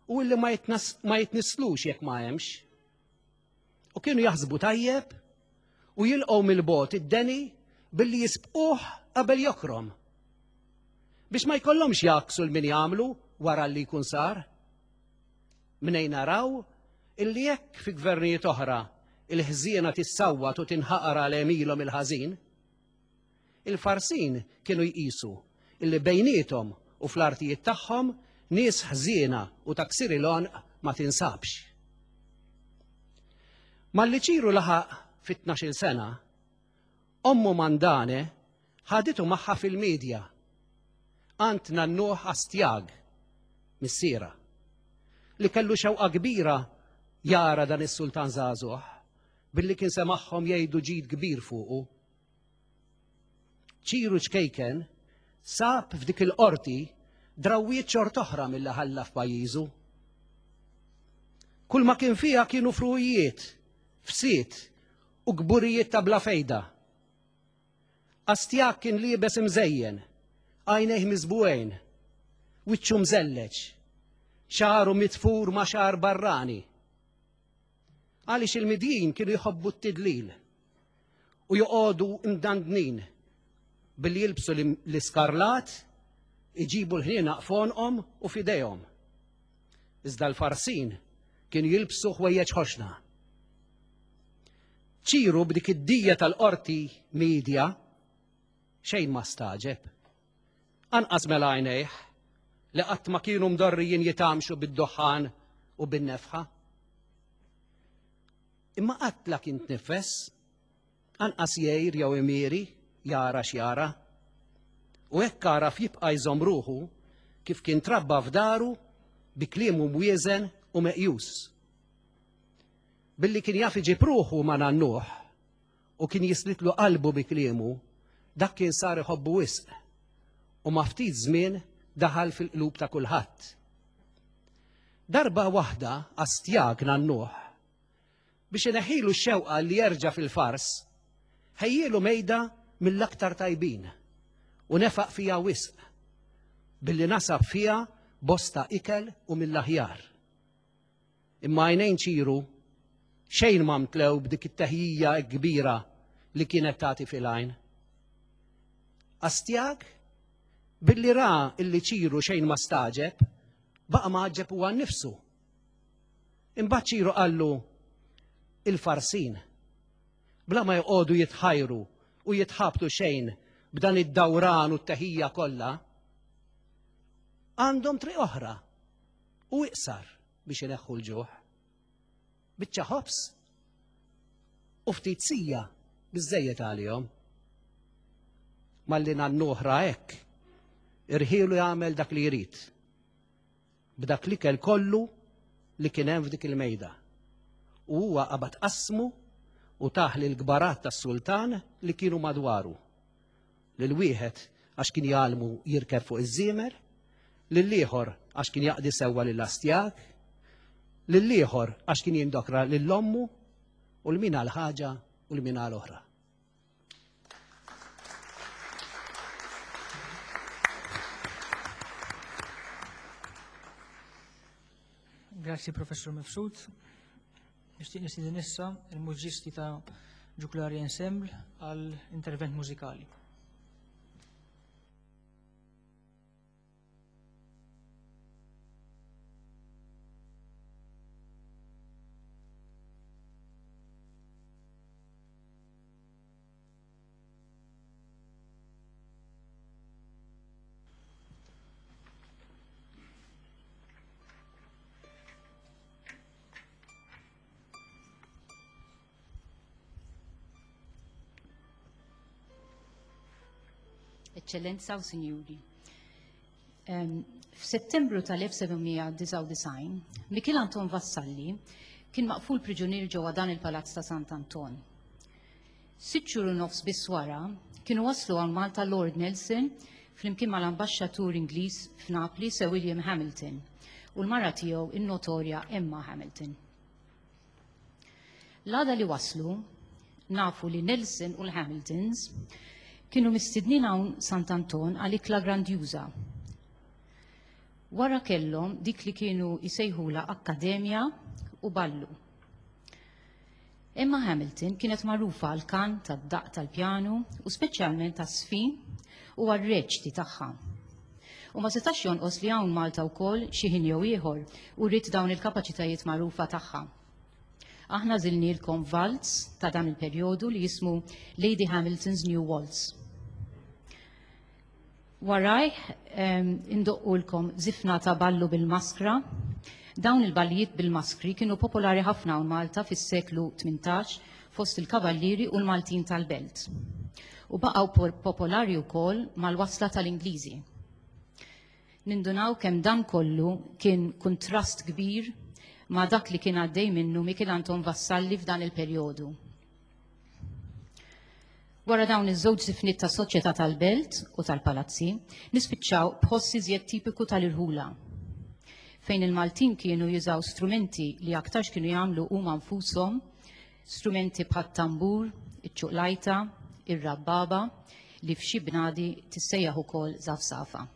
u illi ma jitnisslux jekk ma hemmx. U kienu jaħsbu tajjeb u jilqgħu mill-bogħod id-deni billi jisbquh qabel jokrom. Biex ma jkollhomx jgħakksu l min jagħmlu wara li jkun sar. Mnejn naraw illi jekk fi gvernijiet oħra il-ħżiena tissawwat u tinħaqar għal għemilhom il-ħażin, il-Farsin kienu jqisu illi bejniethom u fl-artijiet tagħhom nies ħżiena u ta' ksir il-għonq ma tinsabx. Malli Ċiru laħaq fit-tnax-il sena, ommu Mandane ħaditu magħha fil-Medja, għand nannuh Astjag, missierha, li kellu xewqa kbira jara dan is-sultan żagħżugħ, billi kien semagħhom jgħidu ġid kbir fuqu. Ċiru ċkejken sab f'dik il-qorti drawwiet xort'oħra milli ħalla f'pajjiżu. Kull ma kien fiha kienu fruwijiet, fsied u kburijiet ta' bla fejda. Astjak kien liebes imżejjen, għajnejh miżbugħin, wiċċu mżelleġ, xagħru mitfur ma' xagħar barrani. Għaliex il-Midjin kienu jħobbu t-tidlil u joqogħdu mdandnin billi jilbsu l-iskarlat, iġibu l-ħnienaq f'għonqhom u f'idejhom. Iżda l-Farsin kienu jilbsu ħwejjeġ ħoxna. Ċiru b'dik id-dija tal-qorti Medja xejn ma stagħġeb. Anqas mela għajnejh li qatt ma kienu mdorrijin jitgħammxu bid-duħħan u bin-nefħa. Imma qatt la kien tniffes, anqas jgħir jew imieri jara x'jara. U hekk għaraf jibqa' jżomm ruħu kif kien trabba f'daru bi kliemu mwieżen u meqjus. Billi kien jaf iġib ruħu ma' nannuh u kien jislitlu qalbu bi kliemu, dak kien sar iħobbu wisq u ma' ftit żmien daħal fil-qlub ta' kulħadd. Darba waħda Astjag nannuh, biex ineħħilu x-xewqa li jerġa' fil-Fars, ħejjielu mejda mill-aktar tajbin u nefaq fiha wisq, billi nasab fiha bosta ikel u mill-aħjar. Imma għajnejn Ċiru xejn ma mtlew b'dik it-teħjija hekk kbira li kienet tagħti fil-għajn. Astjag, billi ra illi Ċiru xejn ma stagħġeb, baqa' mgħaġġeb huwa nnifsu. Imbagħad Ċiru qallu, Il-Farsin, bla ma joqogħdu jitħajru u jitħabtu xejn b'dan id-dawran u t-teħija kollha, għandhom triq oħra u iqsar biex ineħħu l-ġuħ. Biċċa ħobż u ftit sija biżżejjed għalihom. Malli nannuh ra hekk, irħielu jagħmel dak li jrid. B'dak l-ikel kollu li kien hemm f'dik il-mejda. U huwa qabad qasmu u tah lill-kbarat tas-sultan li kienu madwaru. Lil wieħed għax kien jgħallmu jirkeb fuq iż-żiemer, lill-ieħor għax kien jaqdi sewwa lil Astjag, lill-ieħor għax kien jindokra lil ommu, u l min għal ħaġa u l min għal oħra. Grazzi Professor Mifsud. Nixtieq nistieden issa il-mużiċisti ta' Ġuklari Ensemble għal intervent mużikali. Eċċellenza u Sinjuri. F'Settembru tal-1799, Mikiel Anton Vassalli kien maqful priġunier ġewwa dan il-Palazz ta' Sant'Anton. Sitt xhur u nofs biss wara, kienu waslu hawn Malta Lord Nelson flimkien mal-Ambaxxatur Ingliż f'Napli Sir William Hamilton u l-mara tiegħu in-notorja Emma Hamilton. L-għada li waslu, nafu li Nelson u l-Hamiltons kienu mistednin hawn Sant'Anton għal ikla grandjuża. Wara kellhom dik li kienu jsejħulha akkademja u ballu. Emma Hamilton kienet magħrufa għall-kant, għad-daqq tal-pjanu u speċjalment għaż-żfin u għar-reċti tagħha. U ma setax jonqos li hawn Malta wkoll xi ħin jew ieħor uriet dawn il-kapaċitajiet magħrufa tagħha. Aħna żilnielkom valz ta' dan il-perjodu li jismu Lady Hamilton's New Waltz. Warajh indoqqulkom żifna ta' ballu bil-maskra. Dawn il-ballijiet bil-maskri kienu popolari ħafna hawn Malta fis-seklu 18 fost il-kavallieri u l-Maltin tal-belt. U baqgħu popolari wkoll mal-wasla tal-Ingliżi. Nindunaw kemm dan kollu kien kuntrast kbir ma' dak li kien għaddej minnu Mikiel Anton Vassalli f'dan il-perjodu. Wara dawn iż-żewġ żifniet ta' soċjetà tal-belt u tal-palazzi, nispiċċaw b'ħoss iżjed tipiku tal-irħula, fejn il-Maltin kienu jużaw strumenti li aktarx kienu jagħmlu huma nfushom, strumenti bħat-tambur, iċ-ċuqlajta, ir-rabbaba, li f'xi bnadi tissejjaħ ukoll żafżafa.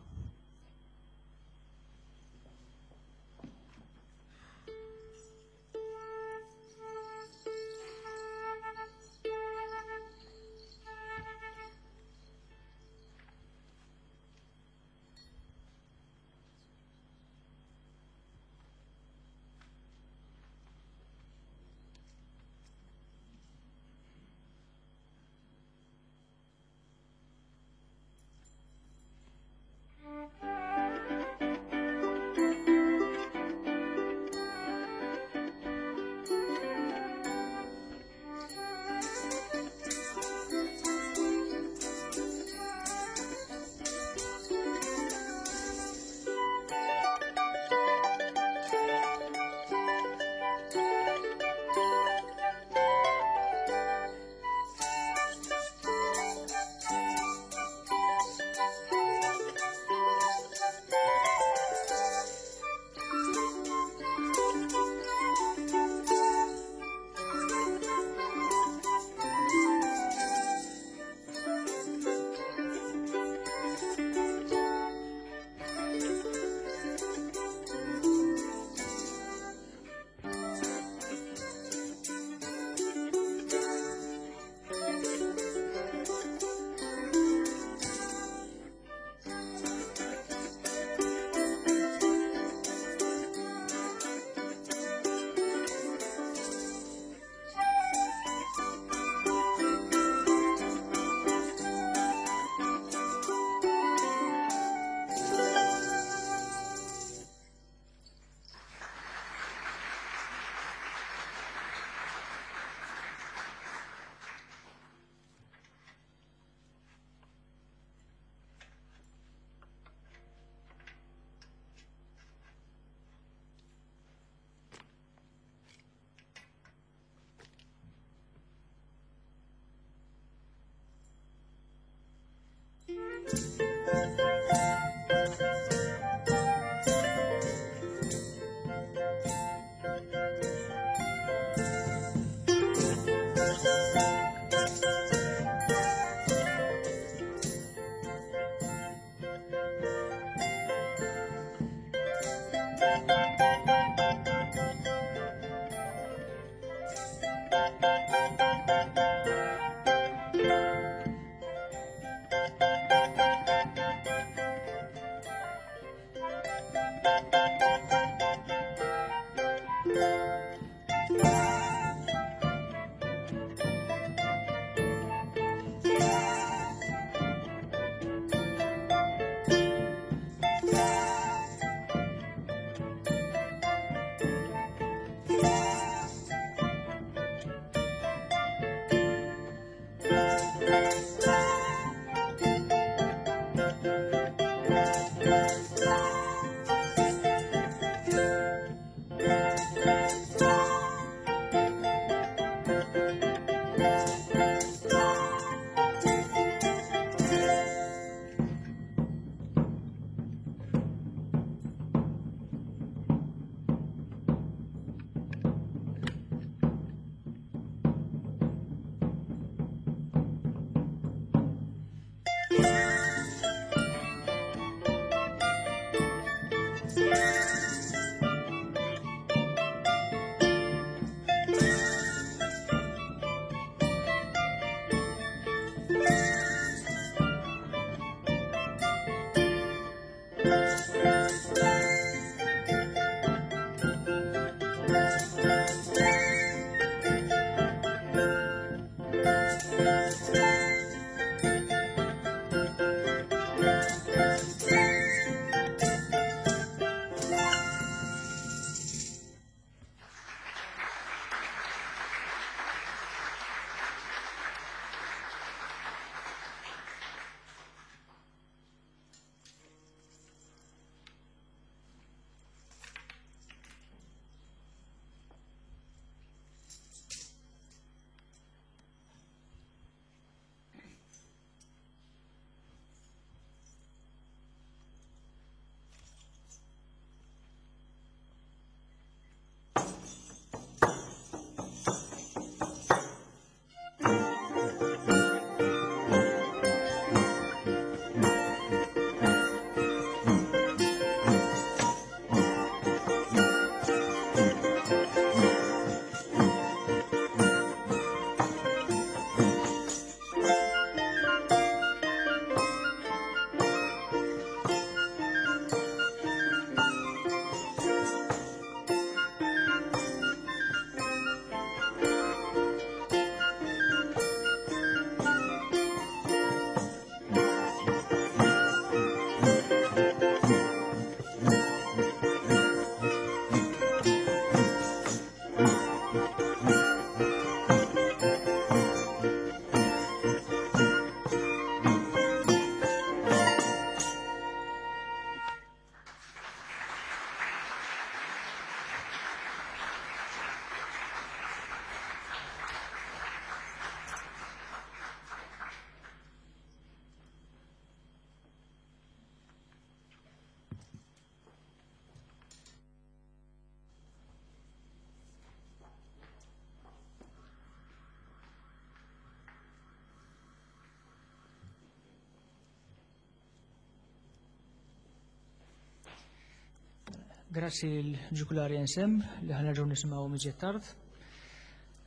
Grazzi l-ġukulari NSM li ħanerġgħu nisimgħu miġiet tard.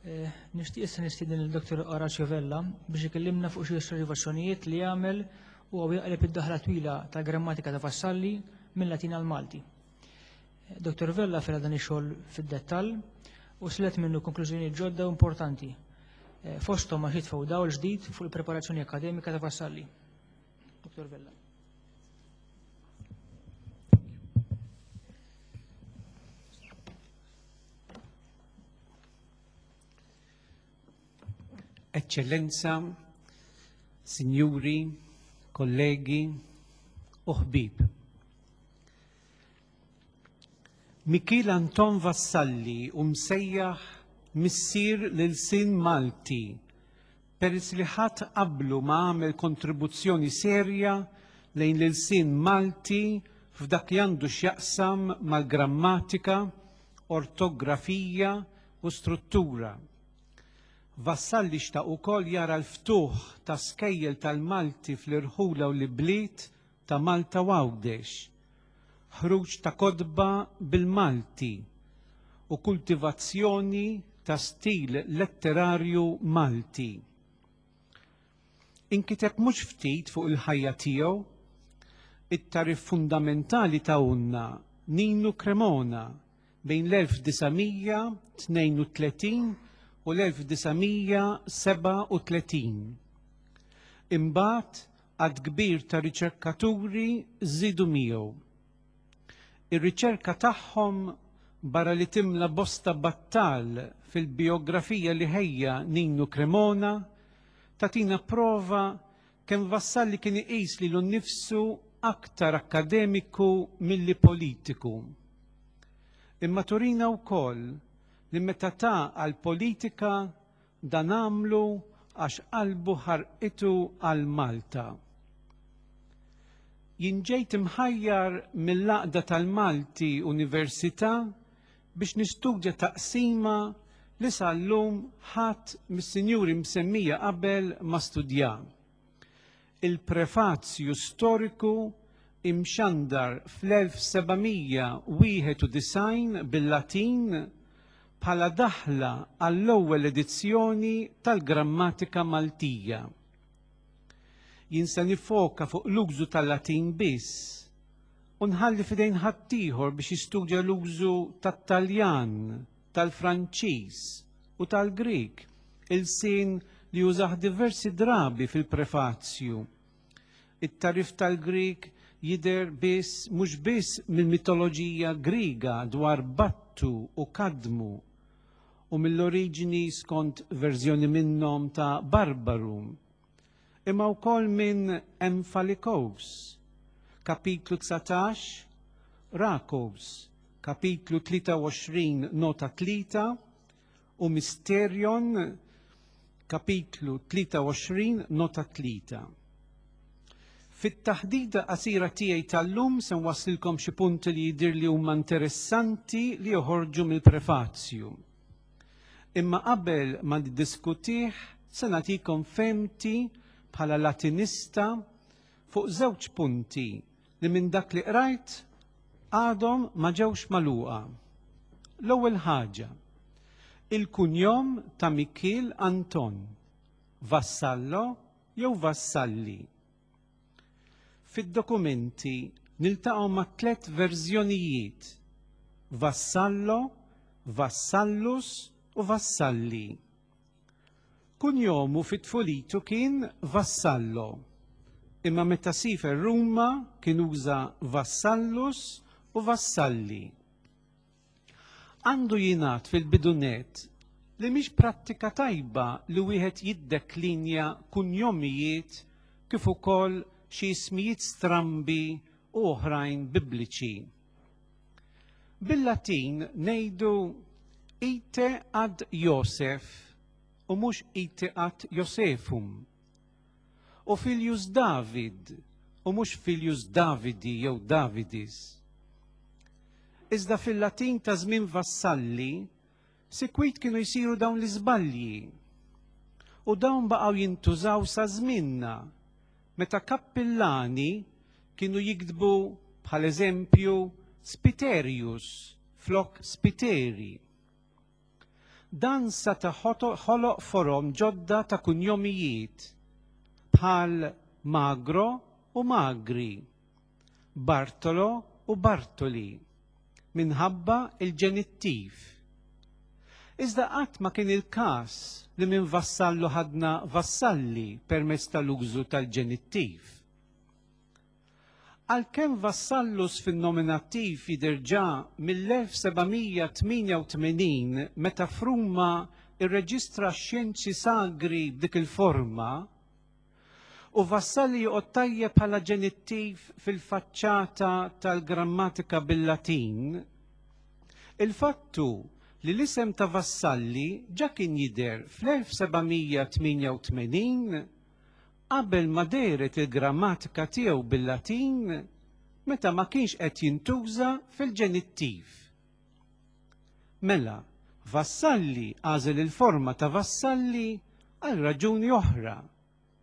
Eh, nixtieq issa nistieden il-Dr. Orazio Vella biex ikellimna fuq xi osservazzjonijiet li għamel u għaw jaqleb id-daħla twila tal-grammatika ta' Vassalli mill-Latin għal Malti. Eh, Dr. Vella fela dan ix-xogħol fid-dettall u silet minnu konklużjonijiet ġodda u importanti. Eh, fosthom għax jitfgħu dawl ġdid fuq il-preparazzjoni akademika ta' Vassalli. Dr. Vella. Eccellenza, Signuri, kollegi u ħbib. Mikiel Anton Vassalli hu msejjaħ missier l-ilsien Malti peress li ħadd qablu ma għamel kontribuzzjoni serja lejn l-ilsien Malti f'dak li għandu x'jaqsam mal-grammatika, ortografija u struttura. Vassalli xtaq ukoll jara l-ftuħ ta' skejjel tal-Malti fl-irħula u l-ibliet ta' Malta u Għawdex, ħruġ ta' kotba bil-Malti u kultivazzjoni ta' stil letterarju Malti. Inkiteb mhux ftit fuq il-ħajja tiegħu, it-tagħrif fundamentali tahulna Ninu Cremona bejn l-1932 u l-1937. Imbagħad Għadd kbir ta' riċerkaturi żiedu miegħu. Ir-riċerka tagħhom barra li timla bosta battal fil-bijografija li ħejja Ninu Cremona, tagħtina prova kemm Vassalli kien iqis lilu nnifsu aktar akkademiku milli politiku. Imma turina wkoll li meta ta għall-politika Dan għamlu għax qalbu ħarqitu għal Malta. Jien ġejt imħajjar mill-Għaqda tal-Malti Università biex nistudja taqsima li sal-lum ħadd mis-sinjuri msemmija qabel ma studja. Il-prefazju storiku imxandar fl-1791 bil-Latin bħala daħla għall-ewwel edizzjoni tal-Grammatika Maltija. Jien se nifoka fuq l-użu tal-Latin biss u nħalli f'idejn ħaddieħor biex jistudja l-użu tat-Taljan, tal-Franċiż u tal-Grieg, ilsien li użah diversi drabi fil-prefazju. It-tagħrif tal-Grieg jidher biss mhux biss mill-mitoloġija Griega dwar Battu u Kadmu u mill-oriġini skont verżjoni minnhom ta' Barbaru, imma wkoll minn Emphalikos, kapitlu 19, Rakos, kapitlu 23 nota 3, u Mysterion, kapitlu 23, nota 3. Fit-taħdita qasira tiegħi tal-lum se nwasslilkom xi punti li jidhir li huma interessanti li joħorġu mill-prefazju. Imma qabel ma niddiskutih se nagħtikom fehmti bħala Latinista fuq żewġ punti li minn dak li qrajt għadhom ma ġewx magħluqa. L-ewwel ħaġa, il-kunjom ta' Mikiel Anton, Vassallo jew Vassalli. Fid-dokumenti niltaqgħu ma' tlett verżjonijiet, Vassallo, Vassallus u Vassalli. Kunjomu fi tfulitu kien Vassallo, imma meta siefer Ruma kien uża Vassallus u Vassalli. Għandu jingħad fil-bidu nett li mhix prattika tajba li wieħed jiddeklinja kunjomijiet kif ukoll xi ismijiet strambi u oħrajn bibliċi. Bil-Latin ngħidu ite ad Josef u mhux ite ad Josefum. U filius David u mhux filius Davidi jew Davidis. Iżda fil-Latin ta' żmien Vassalli, sikwit kienu jsiru dawn l-iżbalji. U dawn baqgħu jintużaw sa żmienna, meta kappillani kienu jiktbu bħal eżempju Spiterius flok Spiteri. Dan seta' ħoloq forom ġodda ta' kunjomijiet bħal Magro u Magri, Bartolo u Bartoli, minħabba l-ġenittiv. Iżda qatt ma kien il-każ li minn Vassallo ħadna Vassalli permezz tal-użu tal-ġenittiv. Għalkemm Vassallus fin-nominattiv jidher ġa mill-1788 meta f'Ruma rreġistra x-xjenzi sagri b'dik il-forma, u Vassalli joqgħod tajjeb bħala ġenittiv fil-faċċata tal-grammatika bil-Latin, il-fatt hu li l-isem ta' Vassalli ġa kien jidher fl-1788 qabel ma dehret il-grammatika tiegħu bil-Latin meta ma kienx qed jintuża fil-ġenittiv. Mela, Vassalli għażel il-forma ta' Vassalli għal raġuni oħra,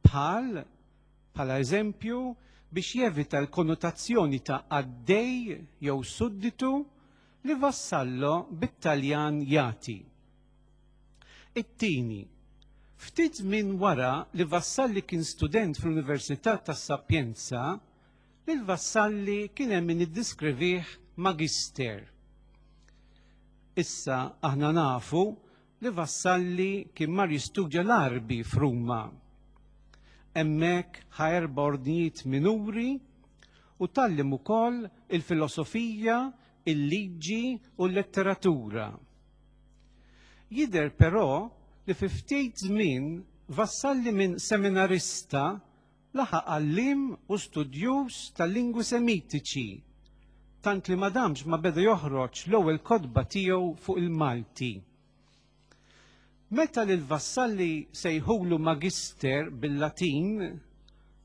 bħal, bħala eżempju, biex jevita l-konnotazzjoni ta' qaddej jew sudditu li Vassallo bit-Taljan jagħti. It-tieni, ftit żmien wara li Vassalli kien student fl-Università tas-Sapienza, lil Vassalli kien hemm min iddiskrivih magister. Issa aħna nafu li Vassalli kien mar jistudja l-Għarbi f'Ruma. Hemmhekk ħa erba' ordnijiet minuri u tgħallem ukoll il-filosofija, il-liġi u l-letteratura. Jidher però li fi ftit żmien Vassalli minn seminarista laħaq għalliem u studjuż tal-lingwi Semitiċi, tant li ma damx ma beda joħroġ l-ewwel kotba tiegħu fuq il-Malti. Meta lil Vassalli sejħulu magister bil-Latin,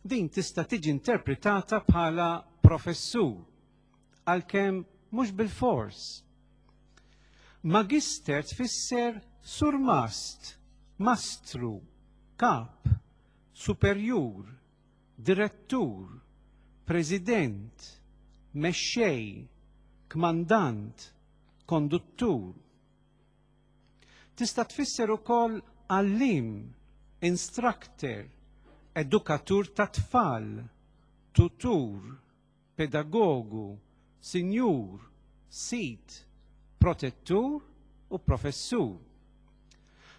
din tista' tiġi interpretata bħala professur, għalkemm mhux bilfors. Magister tfisser surmast, mastru, kap, superjur, direttur, president, mexxej, kmandant, konduttur. Tista' tfisser ukoll għalliem, instructor, edukatur ta' tfal, tutur, pedagogu, sinjur, sid, protettur u professur.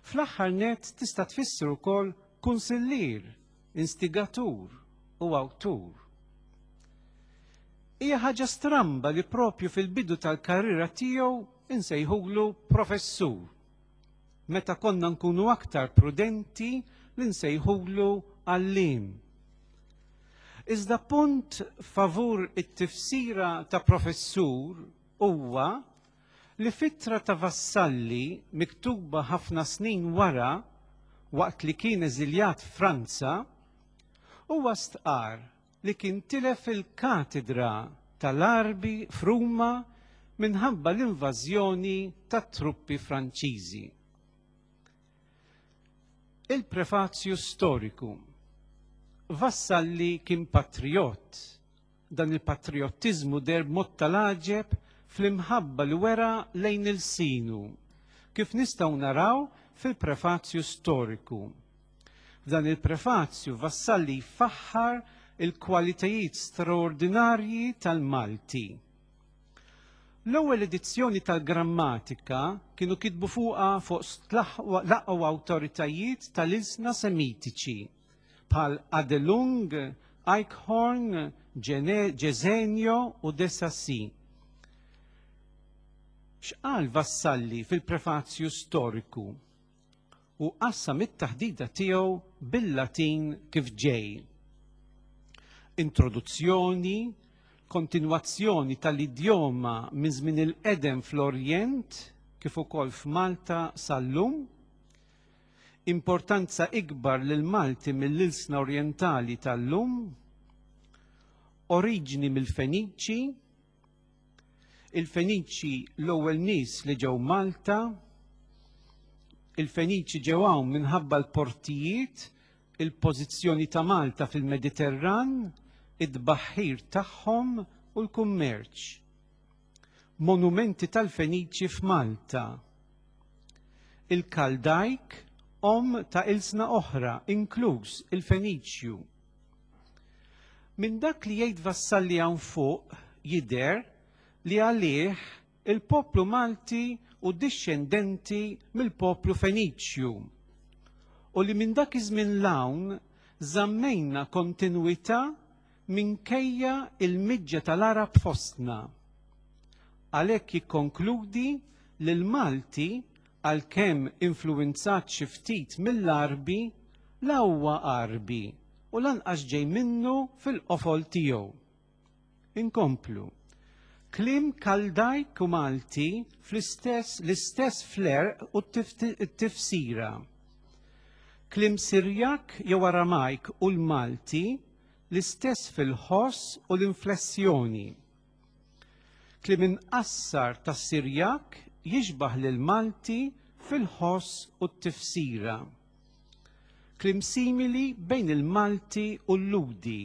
Fl-aħħar nett tista' tfisser ukoll kunsillier, instigatur u awtur. Hija ħaġa stramba li propju fil-bidu tal-karriera tiegħu insejħulu professur. Meta konna nkunu aktar prudenti li nsejħulu għalliem. Iżda punt favur it-tifsira ta' professur huwa li f'ittra ta' Vassalli miktuba ħafna snin wara waqt li kien eżiljat f'Franza, huwa stqarr li kien tilef il-katedra tal-Għarbi f'Ruma minħabba l-invażjoni tat-truppi Franċiżi. Il-prefazju storiku. Vassalli kien patrijott. Dan il-patrijottiżmu deher b'mod tal-għaġeb fl-imħabba li wera lejn ilsinu, kif nistgħu naraw fil-prefazju storiku. F'dan il-prefazju Vassalli jfaħħar il-kwalitajiet straordinarji tal-Malti. L-ewwel edizzjoni tal-grammatika kienu kitbu fuqha fost l-aqwa awtoritajiet tal-ilsna Semitiċi bħal Adelung, Eichhorn, Gesenio u de Sacy. X'qal Vassalli fil-prefazju storiku? u qassam it-taħdita tiegħu bil-Latin kif ġej. Introduzzjoni, kontinwazzjoni tal-idjoma minn żmien il-qedem fl-Orjent kif ukoll f'Malta sal-lum, importanza ikbar lil Malti mill-ilsna orjentali tal-lum, oriġni mill-Feniċi, il-Feniċi l-ewwel nies li ġew Malta, il-Feniċi ġew hawn minħabba l-portijiet, il-pożizzjoni ta' Malta fil-Mediterran, it-tbaħħir tagħhom u l-kummerċ. Monumenti tal-Feniċi f'Malta. Il-Kaldajk omm ta' ilsna oħra, inkluż il-Feniċju. Minn dak li jgħid Vassalli hawn fuq jidher li għalih il-poplu Malti hu dixxendenti mill-poplu Feniċju u li minn dak iż-żmien 'l hawn żammejna kontinwità minkejja l-miġja tal-Għarab fostna. Għalhekk jikkonkludi li l-Malti għalkemm influwinzat xi ftit mill-Għarbi, la huwa Għarbi u lanqas ġej minnu fil-qofol tiegħu. Inkomplu. Kliem Kaldajk u Malti fl-istess l-istess fl-għerq u t-tifsira. Kliem Sirjak jew Aramajk u l-Malti l-istess fil-ħoss u l-inflessjoni. Kliem imqassar tas-Sirjak jixbah lill-Malti fil-ħoss u t-tifsira. Kliem simili bejn il-Malti u l-Lhudi.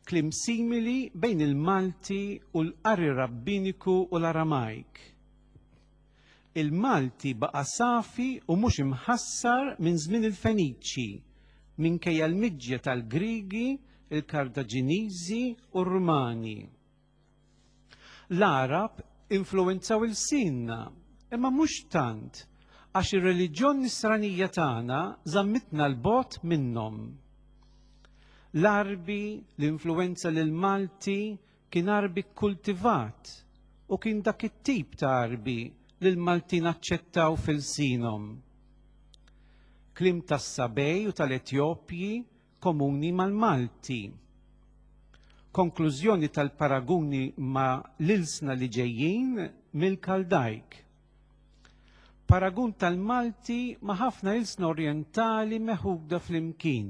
Kliem simili bejn il-Malti u l-qari Rabbiniku u l-Aramajk. Il-Malti baqa' safi u mhux imħassar minn żmien il-Feniċi, minkejja l-miġja tal-Griegi, il-Kartaġiniżi u r-Rumani. L-Għarab influwenzaw ilsienna, imma mhux tant, għax ir-reliġjon Nisranija tagħna żammitna 'l bogħod minnhom. L-Għarbi li influwenza lill-Malti kien Għarbi kkultivat u kien dak it-tip ta' Għarbi li l-Maltin aċċettaw f'ilsienhom. Kliem tas-Sabej u tal-Etjopji komuni mal-Malti. Konklużjoni tal-paraguni ma' l-ilsna li ġejjin mill-Kaldajk. Paragun tal-Malti ma' ħafna ilsna orjentali meħuda flimkien.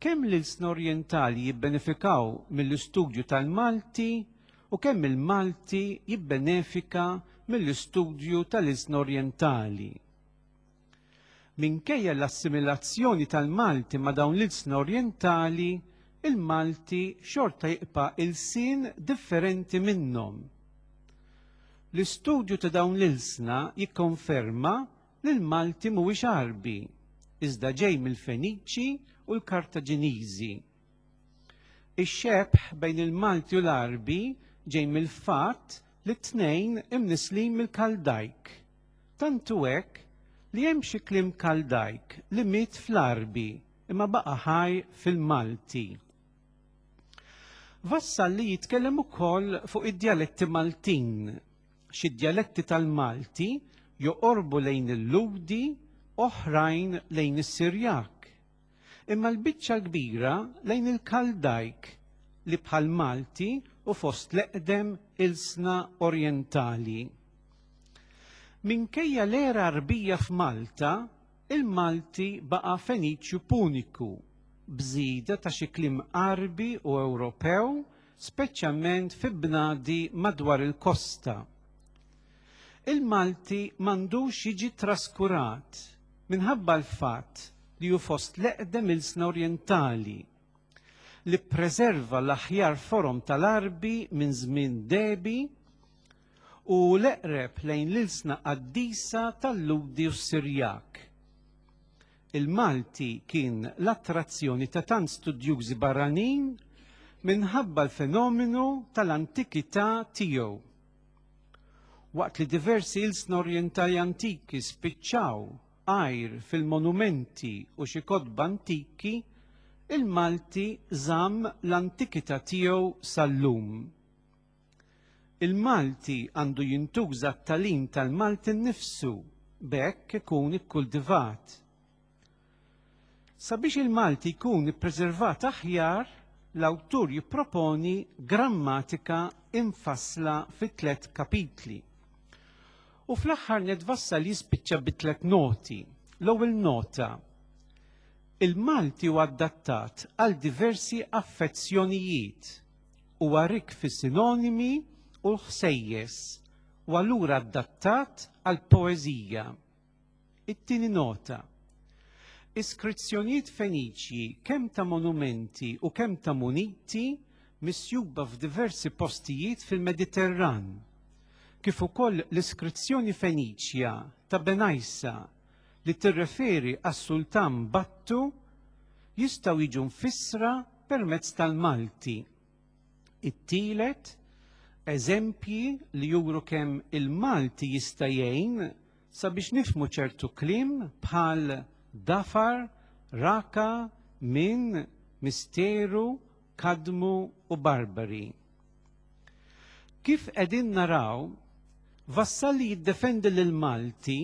Kemm l-ilsna orjentali jibbenefikaw mill-istudju tal-Malti u kemm il-Malti jibbenefika mill-istudju tal-ilsna orjentali. Minkejja l-assimilazzjoni tal-Malti ma' dawn l-ilsna orjentali, il-Malti xorta jibqa' ilsien differenti minnhom. L-istudju ta' dawn l-ilsna jikkonferma li l-Malti mhuwiex Għarbi, iżda ġej mill-Feniċi u l-Kartaġiniżi. Ix-xebh bejn il-Malti u l-Għarbi ġej mill-fatt li t-tnejn imnisslin mill-Kaldajk. Tant hu hekk li hemm xi kliem Kaldajk li miet fl-Għarbi imma baqa' ħaj fil-Malti. Vassalli jitkellem ukoll fuq id-djaletti Maltin. Xi djaletti tal-Malti joqorbu lejn il-Lhudi, oħrajn lejn is-Sirjak. Imma l-biċċa l-kbira lejn il-Kaldajk li bħall-Malti hu fost l-eqdem ilsna orjentali. Minkejja l-era Għarbija f'Malta, il-Malti baqa' Feniċju Puniku, b'żieda ta' xi kliem Għarbi u Ewropew, speċjalment fi bnadi madwar il-kosta. Il-Malti m'għandux jiġi traskurat minħabba l-fatt li hu fost l-eqdem ilsna orjentali, li ppreserva l-aħjar forom tal-Għarbi minn żmien dehbi u l-eqreb lejn l-ilsna qaddisa tal-Lhudi u s-Sirjak. Il-Malti kien l-attrazzjoni ta' tant studjużi barranin minħabba l-fenomenu tal-antikità tiegħu. Waqt li diversi ilsna orjentali antiki spiċċaw għajr fil-monumenti u xi kotba antiki, il-Malti żamm l-antikità tiegħu sal-lum. Il-Malti għandu jintuża għat-tagħlim tal-Malti nnifsu. B'hekk ikun ikkultivat. Sabiex il-Malti jkun ippreservat aħjar, l-awtur jipproponi grammatika imfassla fi tlet kapitli. U fl-aħħar nett Vassalli jispiċċa bi tlet noti. L-ewwel nota, il-Malti huwa adattat għal diversi affezzjonijiet, huwa rikk fis-sinonimi u l-ħsejjes u allura adattat għall-poeżija. It-tieni nota, Iskrizzjonijiet Feniċji kemm ta' monumenti u kemm ta' muniti misjuba f'diversi postijiet fil-Mediterran, kif ukoll l-iskrizzjoni Feniċja ta' Benajsa li tirreferi għas-Sultan Battu jistgħu jiġu mfissra permezz tal-Malti. It-tielet, eżempji li juru kemm il-Malti jista' jgħin sabiex nifhmu ċertu kliem bħal dafar, raka, minn, misteru, kadmu u barbari. Kif qegħdin naraw, Vassalli jiddefendi lill-Malti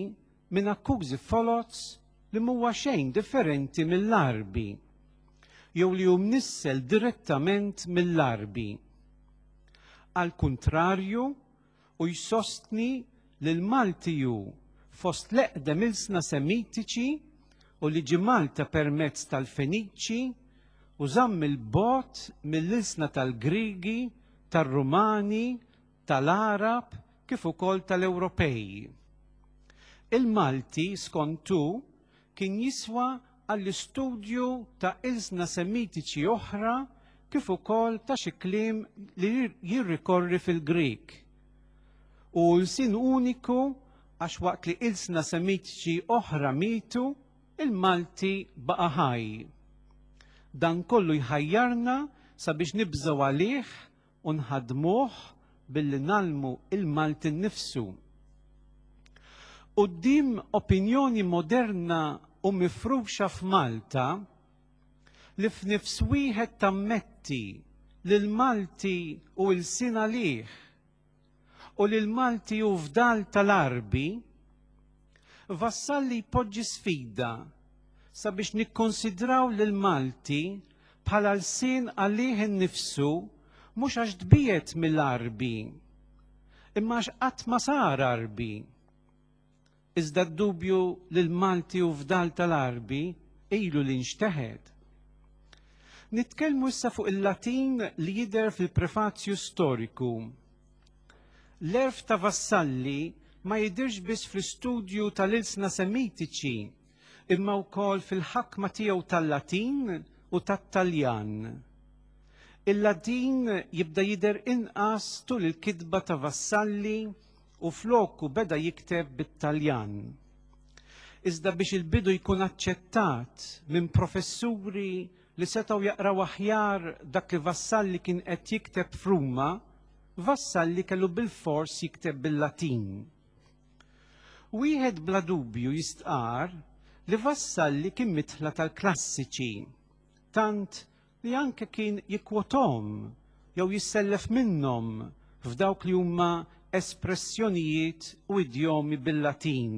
minn akkużi foloz li m'huwa xejn differenti mill-Għarbi jew li hu mnissel direttament mill-Għarbi. Għall-kuntrarju, hu jsostni li l-Malti hu fost l-eqdem ilsna Semitiċi u li ġie Malta permezz tal-Feniċi u żamm 'il bogħod mill-ilsna tal-Griegi, tar-Rumani, tal-Għarab kif ukoll tal-Ewropej. Il-Malti, skont hu, kien jiswa għall-istudju ta' ilsna Semitiċi oħra kif ukoll ta' xi kliem li jirrikorri fil-Grieg. Hu lsien uniku għax waqt li ilsna Semitiċi oħra mietu, il-Malti baqa' ħaj. Dan kollu jħajjarna sabiex nibżgħu għalih u nħaddmuh billi ngħallmu il-Malti nnifsu. Quddiem opinjoni moderna u mifruxa f'Malta li f'nifs wieħed tammetti li l-Malti hu ilsien għalih u li l-Malti hu fdal tal-Għarbi, Vassalli jpoġġi sfida sabiex nikkonsidraw lill-Malti bħala lsien għalih innifsu mhux għax tbiegħed mill-Għarbi, imma għax qatt ma sar Għarbi. Iżda d-dubju li l-Malti hu fdal tal-Għarbi ilu li nxteħet. Nitkellmu issa fuq il-Latin li jidher fil-prefazju storiku. L-għerf ta' Vassalli ma jidhirx biss fl-istudju tal-ilsna Semitiċi, imma wkoll fil-ħakma tiegħu tal-Latin u tat-Taljan. Il-Latin jibda jidher inqas tul il-kitba ta' Vassalli u floku beda jikteb bit-Taljan. Iżda biex il-bidu jkun aċċettat minn professuri li setgħu jaqraw aħjar dak li Vassalli kien qed jikteb f'Ruma, Vassalli kellu bilfors jikteb bil-Latin. Wieħed bla dubju jistqarr li Vassalli kien midħla tal-klassiċi, tant li anke kien jikkwothom jew jissellef minnhom f'dawk li huma espressjonijiet u idjomi bil-Latin.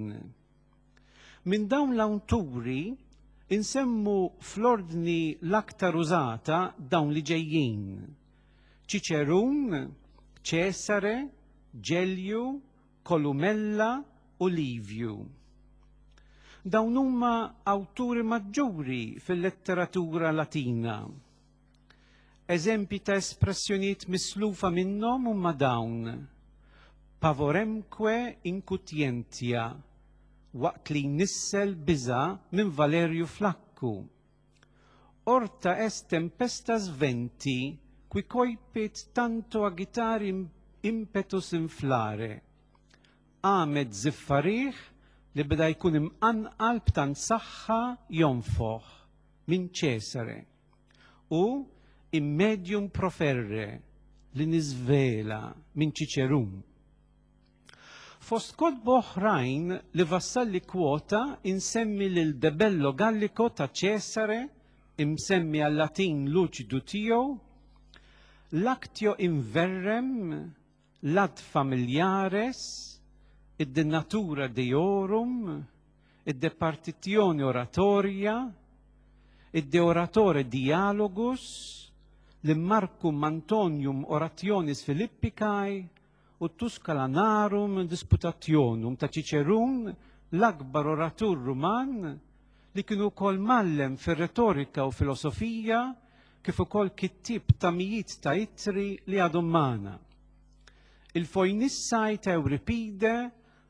Minn dawn l-awturi insemmu fl-ordni l-aktar użata dawn li ġejjin: Ċiċerun, Ċesare, Ġelju, Columella u Livju. Dawn huma awturi maġġuri fil-letteratura Latina. Eżempji ta' espressjonijiet mislufa minnhom huma dawn, Pavoremque incutientia, waqt li jnissel biża' minn Valerju Flakku. Orta est tempestas venti qui coepit tanto agitari impetus inflare. Qamet żiffa riħ li beda jkun imqanqal b'tant saħħa jonfoħ minn Ċesare u in medium proferre li niżvela minn Ċiċerun. Fost kotba oħrajn li Vassalli kwota insemmi lil De Bello Gallico ta' Ċesare imsemmi għal-Latin luċidu tiegħu, l-Actio in Verrem, l-Ad Familiares, id-De Natura Deorum, id-De Partitione Oratoria, id-De Oratore Dialogus, l-Marcum Antonium Orationis Philippicae u Tusculanarum Disputationum ta' Ċiċerun, l-akbar oratur Ruman li kien ukoll mgħallem fir-retorika u filosofija kif ukoll kittieb ta' mijiet ta' ittri li għadhom magħna. Il-Foinissaj ta' Ewripide,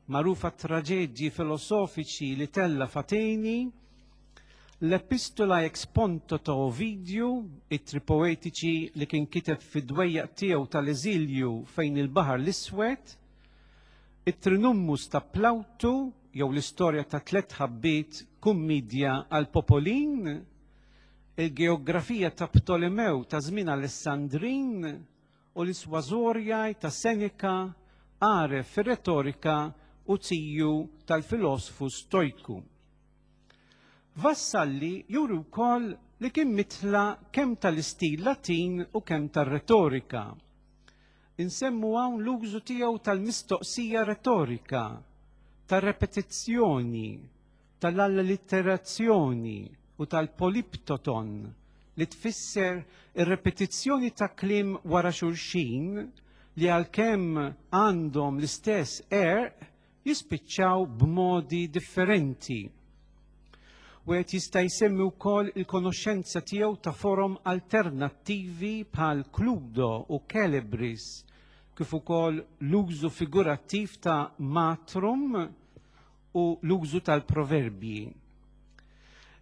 magħruf għat-traġedji filosofiċi li tella' f'Ateni, l-Epistola ex Ponto ta' Ovidju, ittri poetiċi li kien kiteb fid-dwejjaq tiegħu tal-eżilju fejn il-Baħar l-Iswed, it-Trinummus ta' Plawtu jew l-istorja ta' tlett ħabbiet kummidja għall-popolin, il-geografija ta' Ptolemew ta' żmien Alessandrin u l-Isważorjaj ta' Seneca għaref fir-retorika u ziju tal-filosfu Stojku. Vassalli juri wkoll li kien mitla kemm tal-istil Latin u kemm tar-retorika. Insemmu hawn l-użu tiegħu tal-mistoqsija retorika, tar-repetizzjoni, tal-allitterazzjoni u tal-poliptoton li tfisser ir-repetizzjoni ta' kliem wara xulxin li għalkemm għandhom l-istess għerq jispiċċaw b'modi differenti. Wieħed jista' jsemmi wkoll il-konoxxenza tiegħu ta' forom alternattivi bħal Cludo u Celebris, kif ukoll l-użu figurattiv ta' matrum u l-użu tal-proverbji.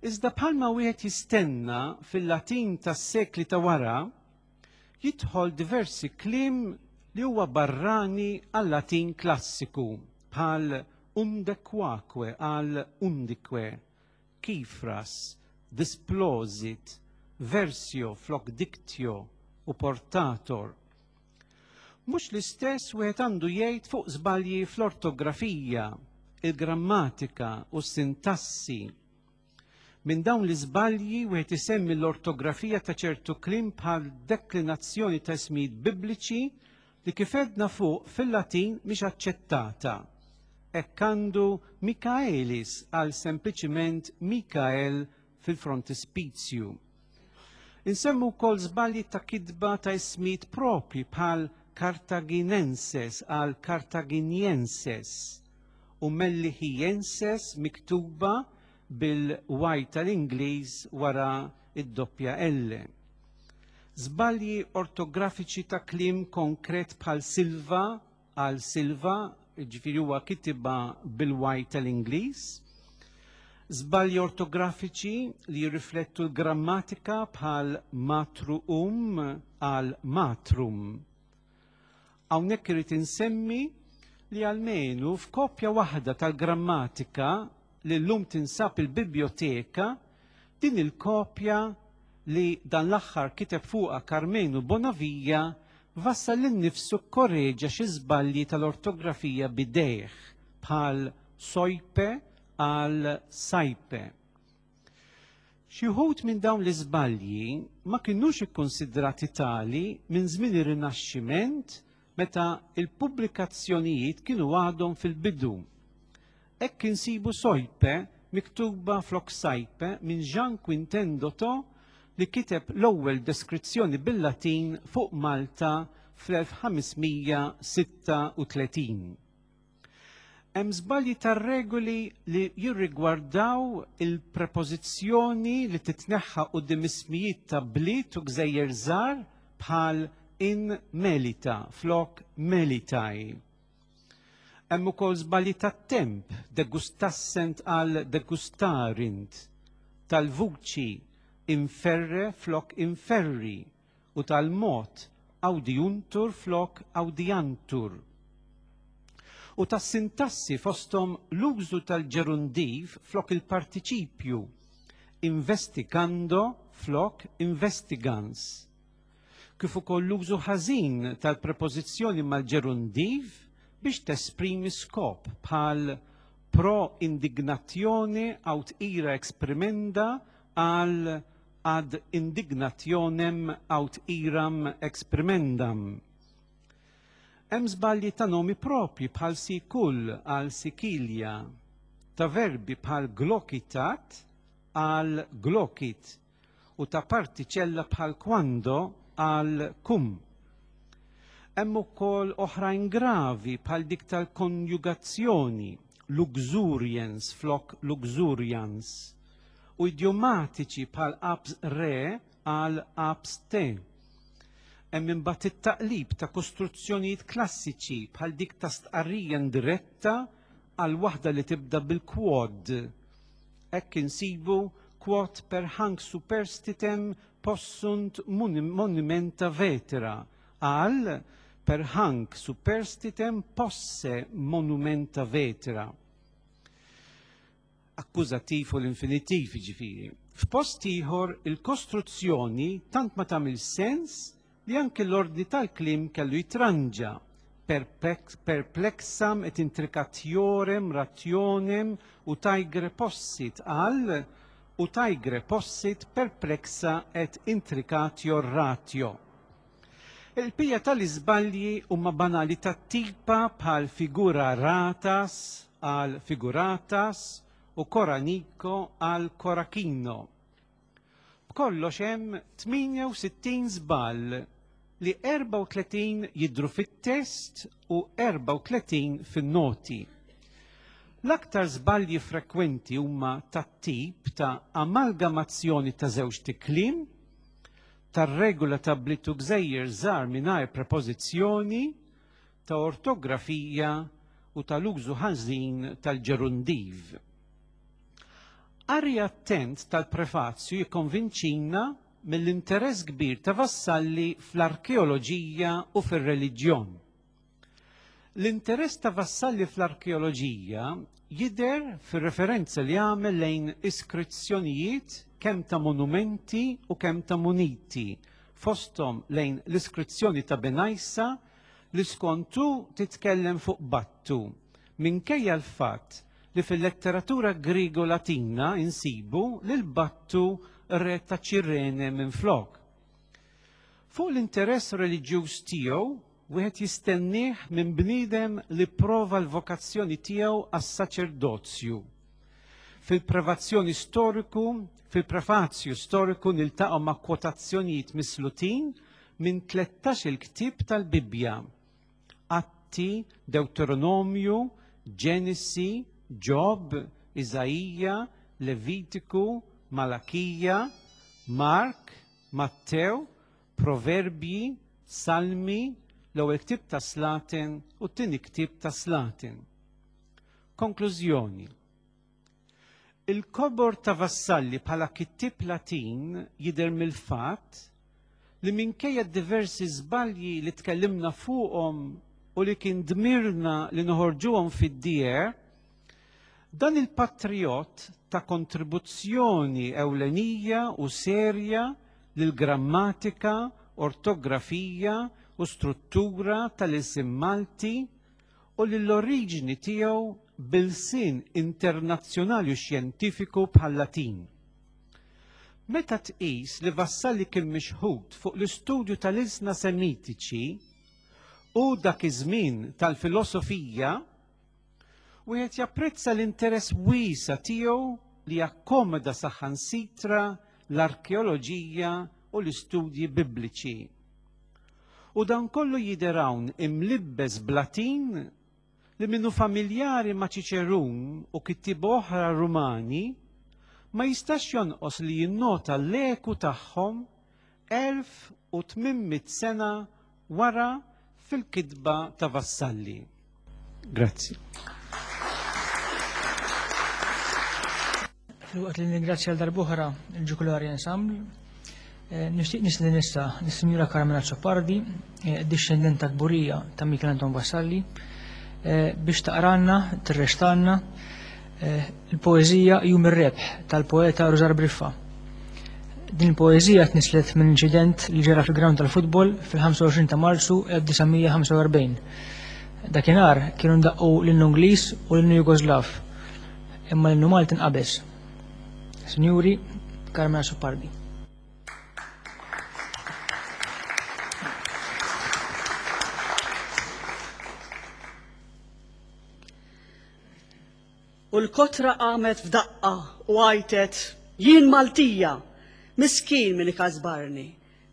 Iżda bħalma wieħed jistenna fil-Latin tas-sekli ta' wara, jidħol diversi kliem li huwa barrani għal-Latin klassiku bħal undequaque għal undique, kifras, displosit, versio flok dictio u portator. Mhux l-istess wieħed għandu jgħid fuq żbalji fl-ortografija, il-grammatika u s-sintassi. Minn dawn l-iżbalji wieħed isemmi l-ortografija ta' ċertu kliem bħal deklinazzjoni ta' ismijiet bibliċi li kif għedna fuq fil-Latin mhix aċċettata. Hekk għandu Michaelis għal sempliċiment Mikael fil-frontispizju. Insemmu wkoll żbalji ta' kitba ta' ismijiet propri bħal Cartaginenses għal Cartaginienses u Mellihienses miktuba bil-Y tal-Ingliż wara id-doppja L. Żbalji ortografiċi ta' kliem konkret bħal silva għal silva, ġifieri huwa kitibha bil-Y tal-Ingliż. Żbalji ortografiċi li jirriflettu l-grammatika bħal matruum għal matrum. Hawnhekk irid insemmi li almenu f'kopja waħda tal-grammatika li llum tinsab il-bibljoteka, din il-kopja li dan l-aħħar kiteb fuqha Karmenu Bonavia Vassalli nnifsu kkoreġa xi żbalji tal-ortografija b'idejh bħal sojpe għal sajpe. Xi wħud minn dawn l-iżbalji ma kinux ikkunsidrati tali minn żmien ir-Rinaxximent meta l-pubblikazzjonijiet kienu għadhom fil-bidu. Hekk insibu sojpe miktuba flok sajpe minn Jean Quintin Dotto li kiteb l-ewwel deskrizzjoni bil-Latin fuq Malta fl-1536. Hemm żbalji tar-regoli li jirrigwardaw il-prepożizzjoni li titneħħa quddiem ismijiet ta' bliet u gżejjer żgħar bħal in Melita flok Melitae. Hemm ukoll żbalji tat-temp, degustassent għal degustarint, tal-vuċi inferre flok inferri u tal-mod audiuntur flok audiantur. U tas-sintassi fosthom l-użu tal-ġerundiv flok il-partiċipju, investigando flok investigans. Kif ukoll l-użu ħażin tal-prepożizzjoni mal-ġerundiv biex tesprimi skop bħal pro indignatione aut ira exprimenda għal ad indignationem aut iram exprimendam. Hemm żbalji ta' nomi propji bħal Sikul għal Sikilja, ta' verbi bħal glokitat għal glokit u ta' partiċella bħal quando għal cum. Hemm ukoll oħrajn gravi bħal dik tal-konjugazzjoni, luxurians flok luxurians, u idjomatiċi bħal abs re għal abs te. Hemm imbagħad it-taqlib ta' kostruzzjonijiet klassiċi bħal dik ta' stqarrija indiretta għal waħda li tibda bil-quod. Hekk insibu quod per hanc superstitem possunt monumenta vetera għal per hanc superstitem posse monumenta vetera. Akkużattiv u l-infinitiv jiġifieri. F'post ieħor il-kostruzzjoni tant ma tagħmilx sens li anki l-ordni tal-kliem kellu jitranġa, perplexam et intricatiorem rationem utaigre possit għal utaigre possit perplexa et intricatior ratio. Il-bqija tal-iżbalji huma banali tat-tipa bħal figura ratas għal figuratas u koraniko għal korakino. B'kollox hemm 68 żball li 34 jidhru fit-test u 34 fin-noti. L-aktar żbalji frekwenti huma tat-tip ta' amalgamazzjoni ta' żewġt ikliem, tar-regola ta' bliet u gżejjer żgħar mingħajr prepożizzjoni, ta' ortografija u tal-użu ħażin tal-ġerundiv. Qari attent tal-prefazju jikkonvinċina mill-interess kbir ta' Vassalli fl-arkeoloġija u fir-reliġjon. L-interess ta' Vassalli fl-arkeoloġija jidher fir-referenza li għamel lejn iskrizzjonijiet kemm ta' monumenti u kemm ta' muniti, fosthom lejn l-iskrizzjoni ta' Benajsa li skont hu titkellem fuq Battu, minkejja l-fatt li fil-letteratura Griego-Latina insibu lil Battu re ta' Ċirene minflok. Fuq l-interess reliġjuż tiegħu wieħed jistennieh minn bniedem li pprova l-vokazzjoni tiegħu għas-saċerdozju. Fil-prevazzjoni storiku, fil-prefazju storiku niltaqgħu ma' kwotazzjonijiet mislutin minn 13-il ktieb tal-Bibbja. Atti, Dewteronomju, Ġenesi, Ġob, Iżaija, Levitiku, Malakija, Mark, Mattew, Proverbji, Salmi, l-ewwel ktieb ta' Slaten u t-tieni ktieb ta' Slaten. Konklużjoni. Il-kobor ta' Vassalli bħala kittieb Latin jidher mill-fatt li minkejja d-diversi żbalji li tkellimna fuqhom u li kien dmirna li noħorġuhom fid-dieher, dan il-patrijott ta kontribuzzjoni ewlenija u serja lill-grammatika, ortografija u struttura tal-ilsien Malti u lill-oriġini tiegħu b'ilsien internazzjonali u xjentifiku bħal-Latin. Meta tqis li Vassalli kien mixħut fuq l-istudju tal-ilsna Semitiċi u dak iż-żmien tal-filosofija, wieħed japprezza l-interess wiesa' tiegħu li jakkomoda saħansitra l-arkeoloġija u l-istudji Bibliċi. U dan kollu jidher hawn imlibbes b'Latin li min hu familjari ma' Ċiċerun u kittieba oħra Rumani ma jistax jonqos li jinnota l-eku tagħhom 1800 sena wara fil-kitba ta' Vassalli. Grazzi. Filwaqt li nirringrazzja għal darb'oħra il-Ġukulari Ensemble, eh, nixtieq nistieden issa lis-Sinjura Carmen Azzopardi, eh, dixxendenta kburija ta' Michel Anton Vassalli, eh, biex taqranna, tirrextanna il-poeżija Jum ir-Rebħ tal-poeta Rużar Briffa. Din il-poeżija tnislet minn inċident li ġara fil-ground tal-futbol fil-25 ta' Marzu 1945. Dakinhar kienu ndaqqu l-innu Ingliż u l-innu Jugoslav. Imma l-innu Malti nqabeż. Sinjuri, Carmen Azzopardi. U l-kotra qamet f'daqqa u għajtet, Jien Maltija! Miskin min ikasbarni,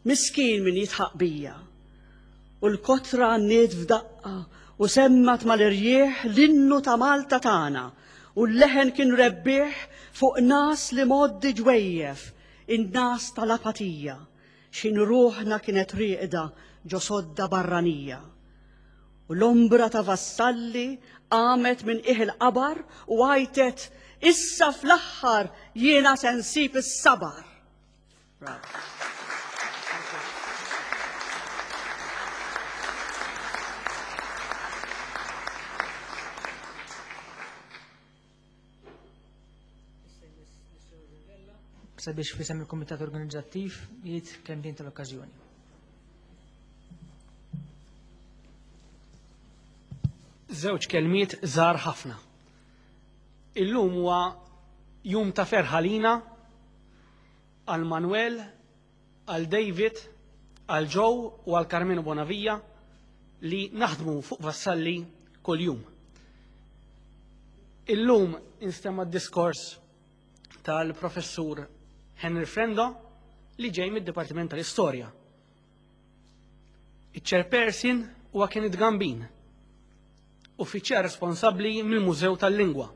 miskin min jidħaq bija. U l-kotra għanniet f'daqqa u semmat mal-irjieħ l-innu ta' Malta tagħna u l-leħen kien rebbieħ fuq nas li mgħoddi ġwejjef, in-nas tal-apatija, x'ħin ruħna kienet rieqda ġo sodda barranija. U l-ombra ta' Vassalli qamet minn qiegħ il-qabar u għajtet, Issa fl-aħħar jiena se nsib is-sabar. Sabiex fisem il-Kumitat Organizzattiv jgħid kemm tal-okkażjoni. Żewġ kelmiet żgħar ħafna. Illum huwa jum ta' ferħ għalina, għal Manuel, għal David, għal Joe u għal Carmenu Bonavia li naħdmu fuq Vassalli kuljum. Illum instema' d-diskors tal-professur Henry Frendo li ġej mid-Dipartiment tal-Istorja. Iċ-chairperson huwa Kenneth Gambin, uffiċjal responsabbli mill-Mużew tal-Lingwa,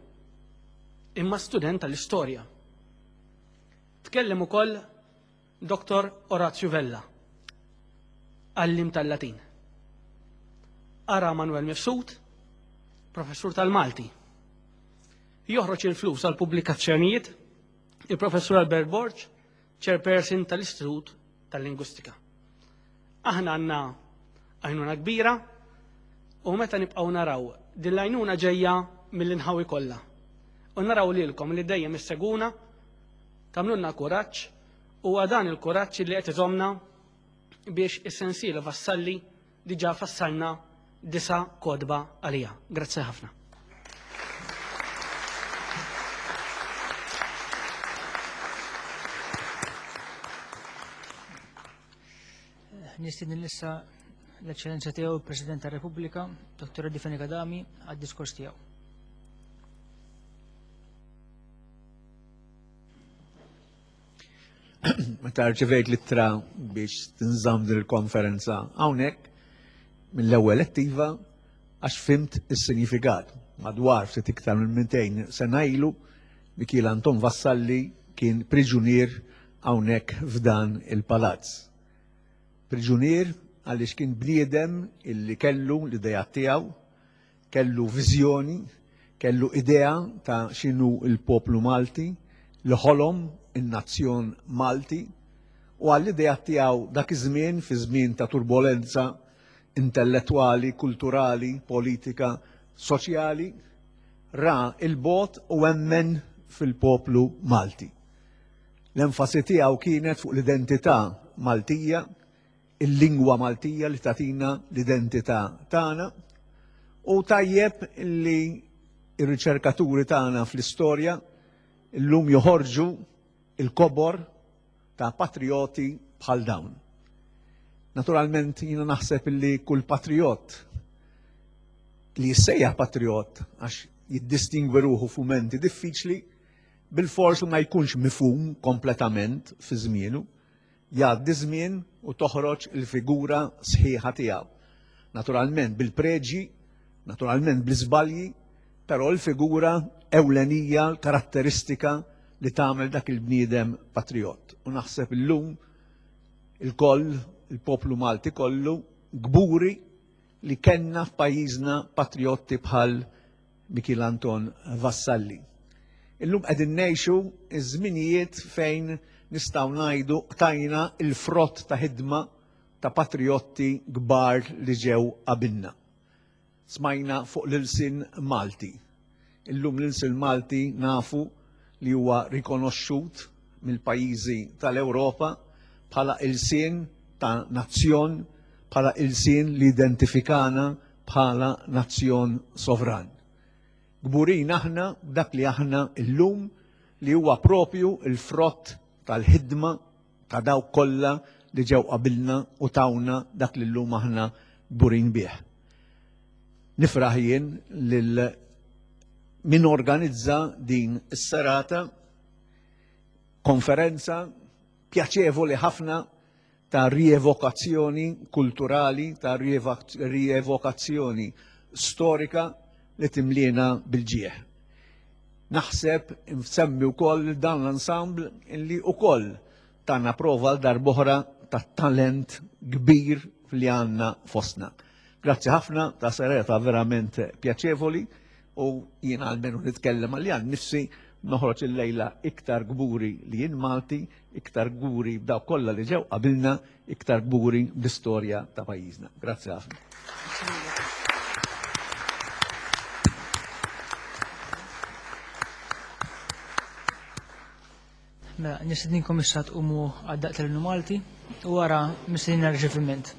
imma student tal-istorja. Tkellem ukoll Dr. Orazio Vella, għallim tal-Latin. Ara Manuel Mifsud, professur tal-Malti. Joħroġ il-flus għal pubblikazzjonijiet il-professur Albert Borg, chairperson tal-Istitut tal-Lingwistika. Aħna għandna għajnuna kbira u meta nibqgħu naraw din l-għajnuna ġejja mill-inħawi kollha. U naraw lilkom li dejjem isseguna, tagħmlulna kuraġġ u dan il-kuraġġ li qed iżomna biex is-sensiela Vassalli diġà fassalna disa' kotba għaliha. Grazzi ħafna. Nistieden issa l-Eċċellenza tiegħu il-President tar-Repubblika, Dr. Eddie Fenech Adami, għad-diskors tiegħu. Meta rċivejt l-ittra biex tinżamm din il-konferenza hawnhekk mill-ewwel attiva għax fimt is-sinjifikat. Madwar ftit iktar minn 200 sena ilu Mikiel Anton Vassalli kien priġunier hawnhekk f'dan il-palazz. Priġunier għaliex kien bniedem illi kellu l-idejat tiegħu, Kellu viżjoni, kellu idea ta' x'inhu l-poplu Malti, li ħolom in-nazzjon Malti, u għall-ideat tiegħu dak iż-żmien, fi żmien ta' turbolenza intellettwali, kulturali, politika, soċjali, ra 'l bogħod u emmen fil-poplu Malti. L-enfasi tiegħu kienet fuq l-identità Maltija, il-lingwa Maltija li tagħtina l-identità tagħna u tajjeb li r-riċerkaturi tagħna fl-istorja llum joħorġu il-kobor ta' patrijoti bħal dawn. Naturalment jiena naħseb li kull patrijot li jissejjaħ patrijot għax jiddistingwi ruħu f'mumenti diffiċli, bilfors ma jkunx mifhum kompletament fi żmienu, Jgħaddi ż-żmien u toħroġ il-figura sħiħa tiegħu. Naturalment bil-preġji, naturalment bl-iżbalji, però l-figura ewlenija, l-karatteristika li tagħmel dak il-bniedem patrijott. U naħseb illum ilkoll, il-poplu Malti kollu, kburi li kellna f'pajjiżna patrijotti bħal Mikiel Anton Vassalli. Illum qegħdin ngħixu ż-żminijiet fejn nistgħu ngħidu qtajna l-frott ta' ħidma ta' patrijotti kbar li ġew qabilna. Smajna fuq l-ilsien Malti. Illum l-ilsien Malti nafu li huwa rikonoxxut mill-pajjiżi tal-Ewropa bħala ilsien ta' nazzjon, bħala ilsien li identifikana bħala nazzjon sovran. Kburin aħna b'dak li aħna llum li huwa propju l-frott tal-ħidma ta' dawk kollha li ġew qabilna u tawna dak li llum aħna kburin bih. Nifraħ jien lil min organizza din is-serata, konferenza pjaċevoli ħafna ta' rievokazzjoni kulturali, ta' rievokazzjoni storika li timliena bil-ġieħ. Naħseb nsemmi wkoll dan l-ensemble li wkoll tana prova għal darb'oħra ta' talent kbir li għandna fostna. Grazzi ħafna ta' serata verament pjaċevoli u jien almenu nitkellem għal jan nifsi noħroġ il-lejla iktar gburi li jien Malti, iktar gburi b'dawk kollha li ġew qabilna, iktar gburi bl-istorja ta' pajjiżna. Grazzi ħafna. Mela, nistedninkom issa tqumu għad-daqq tal-Innu Malti u wara mistednin għar-riċeviment.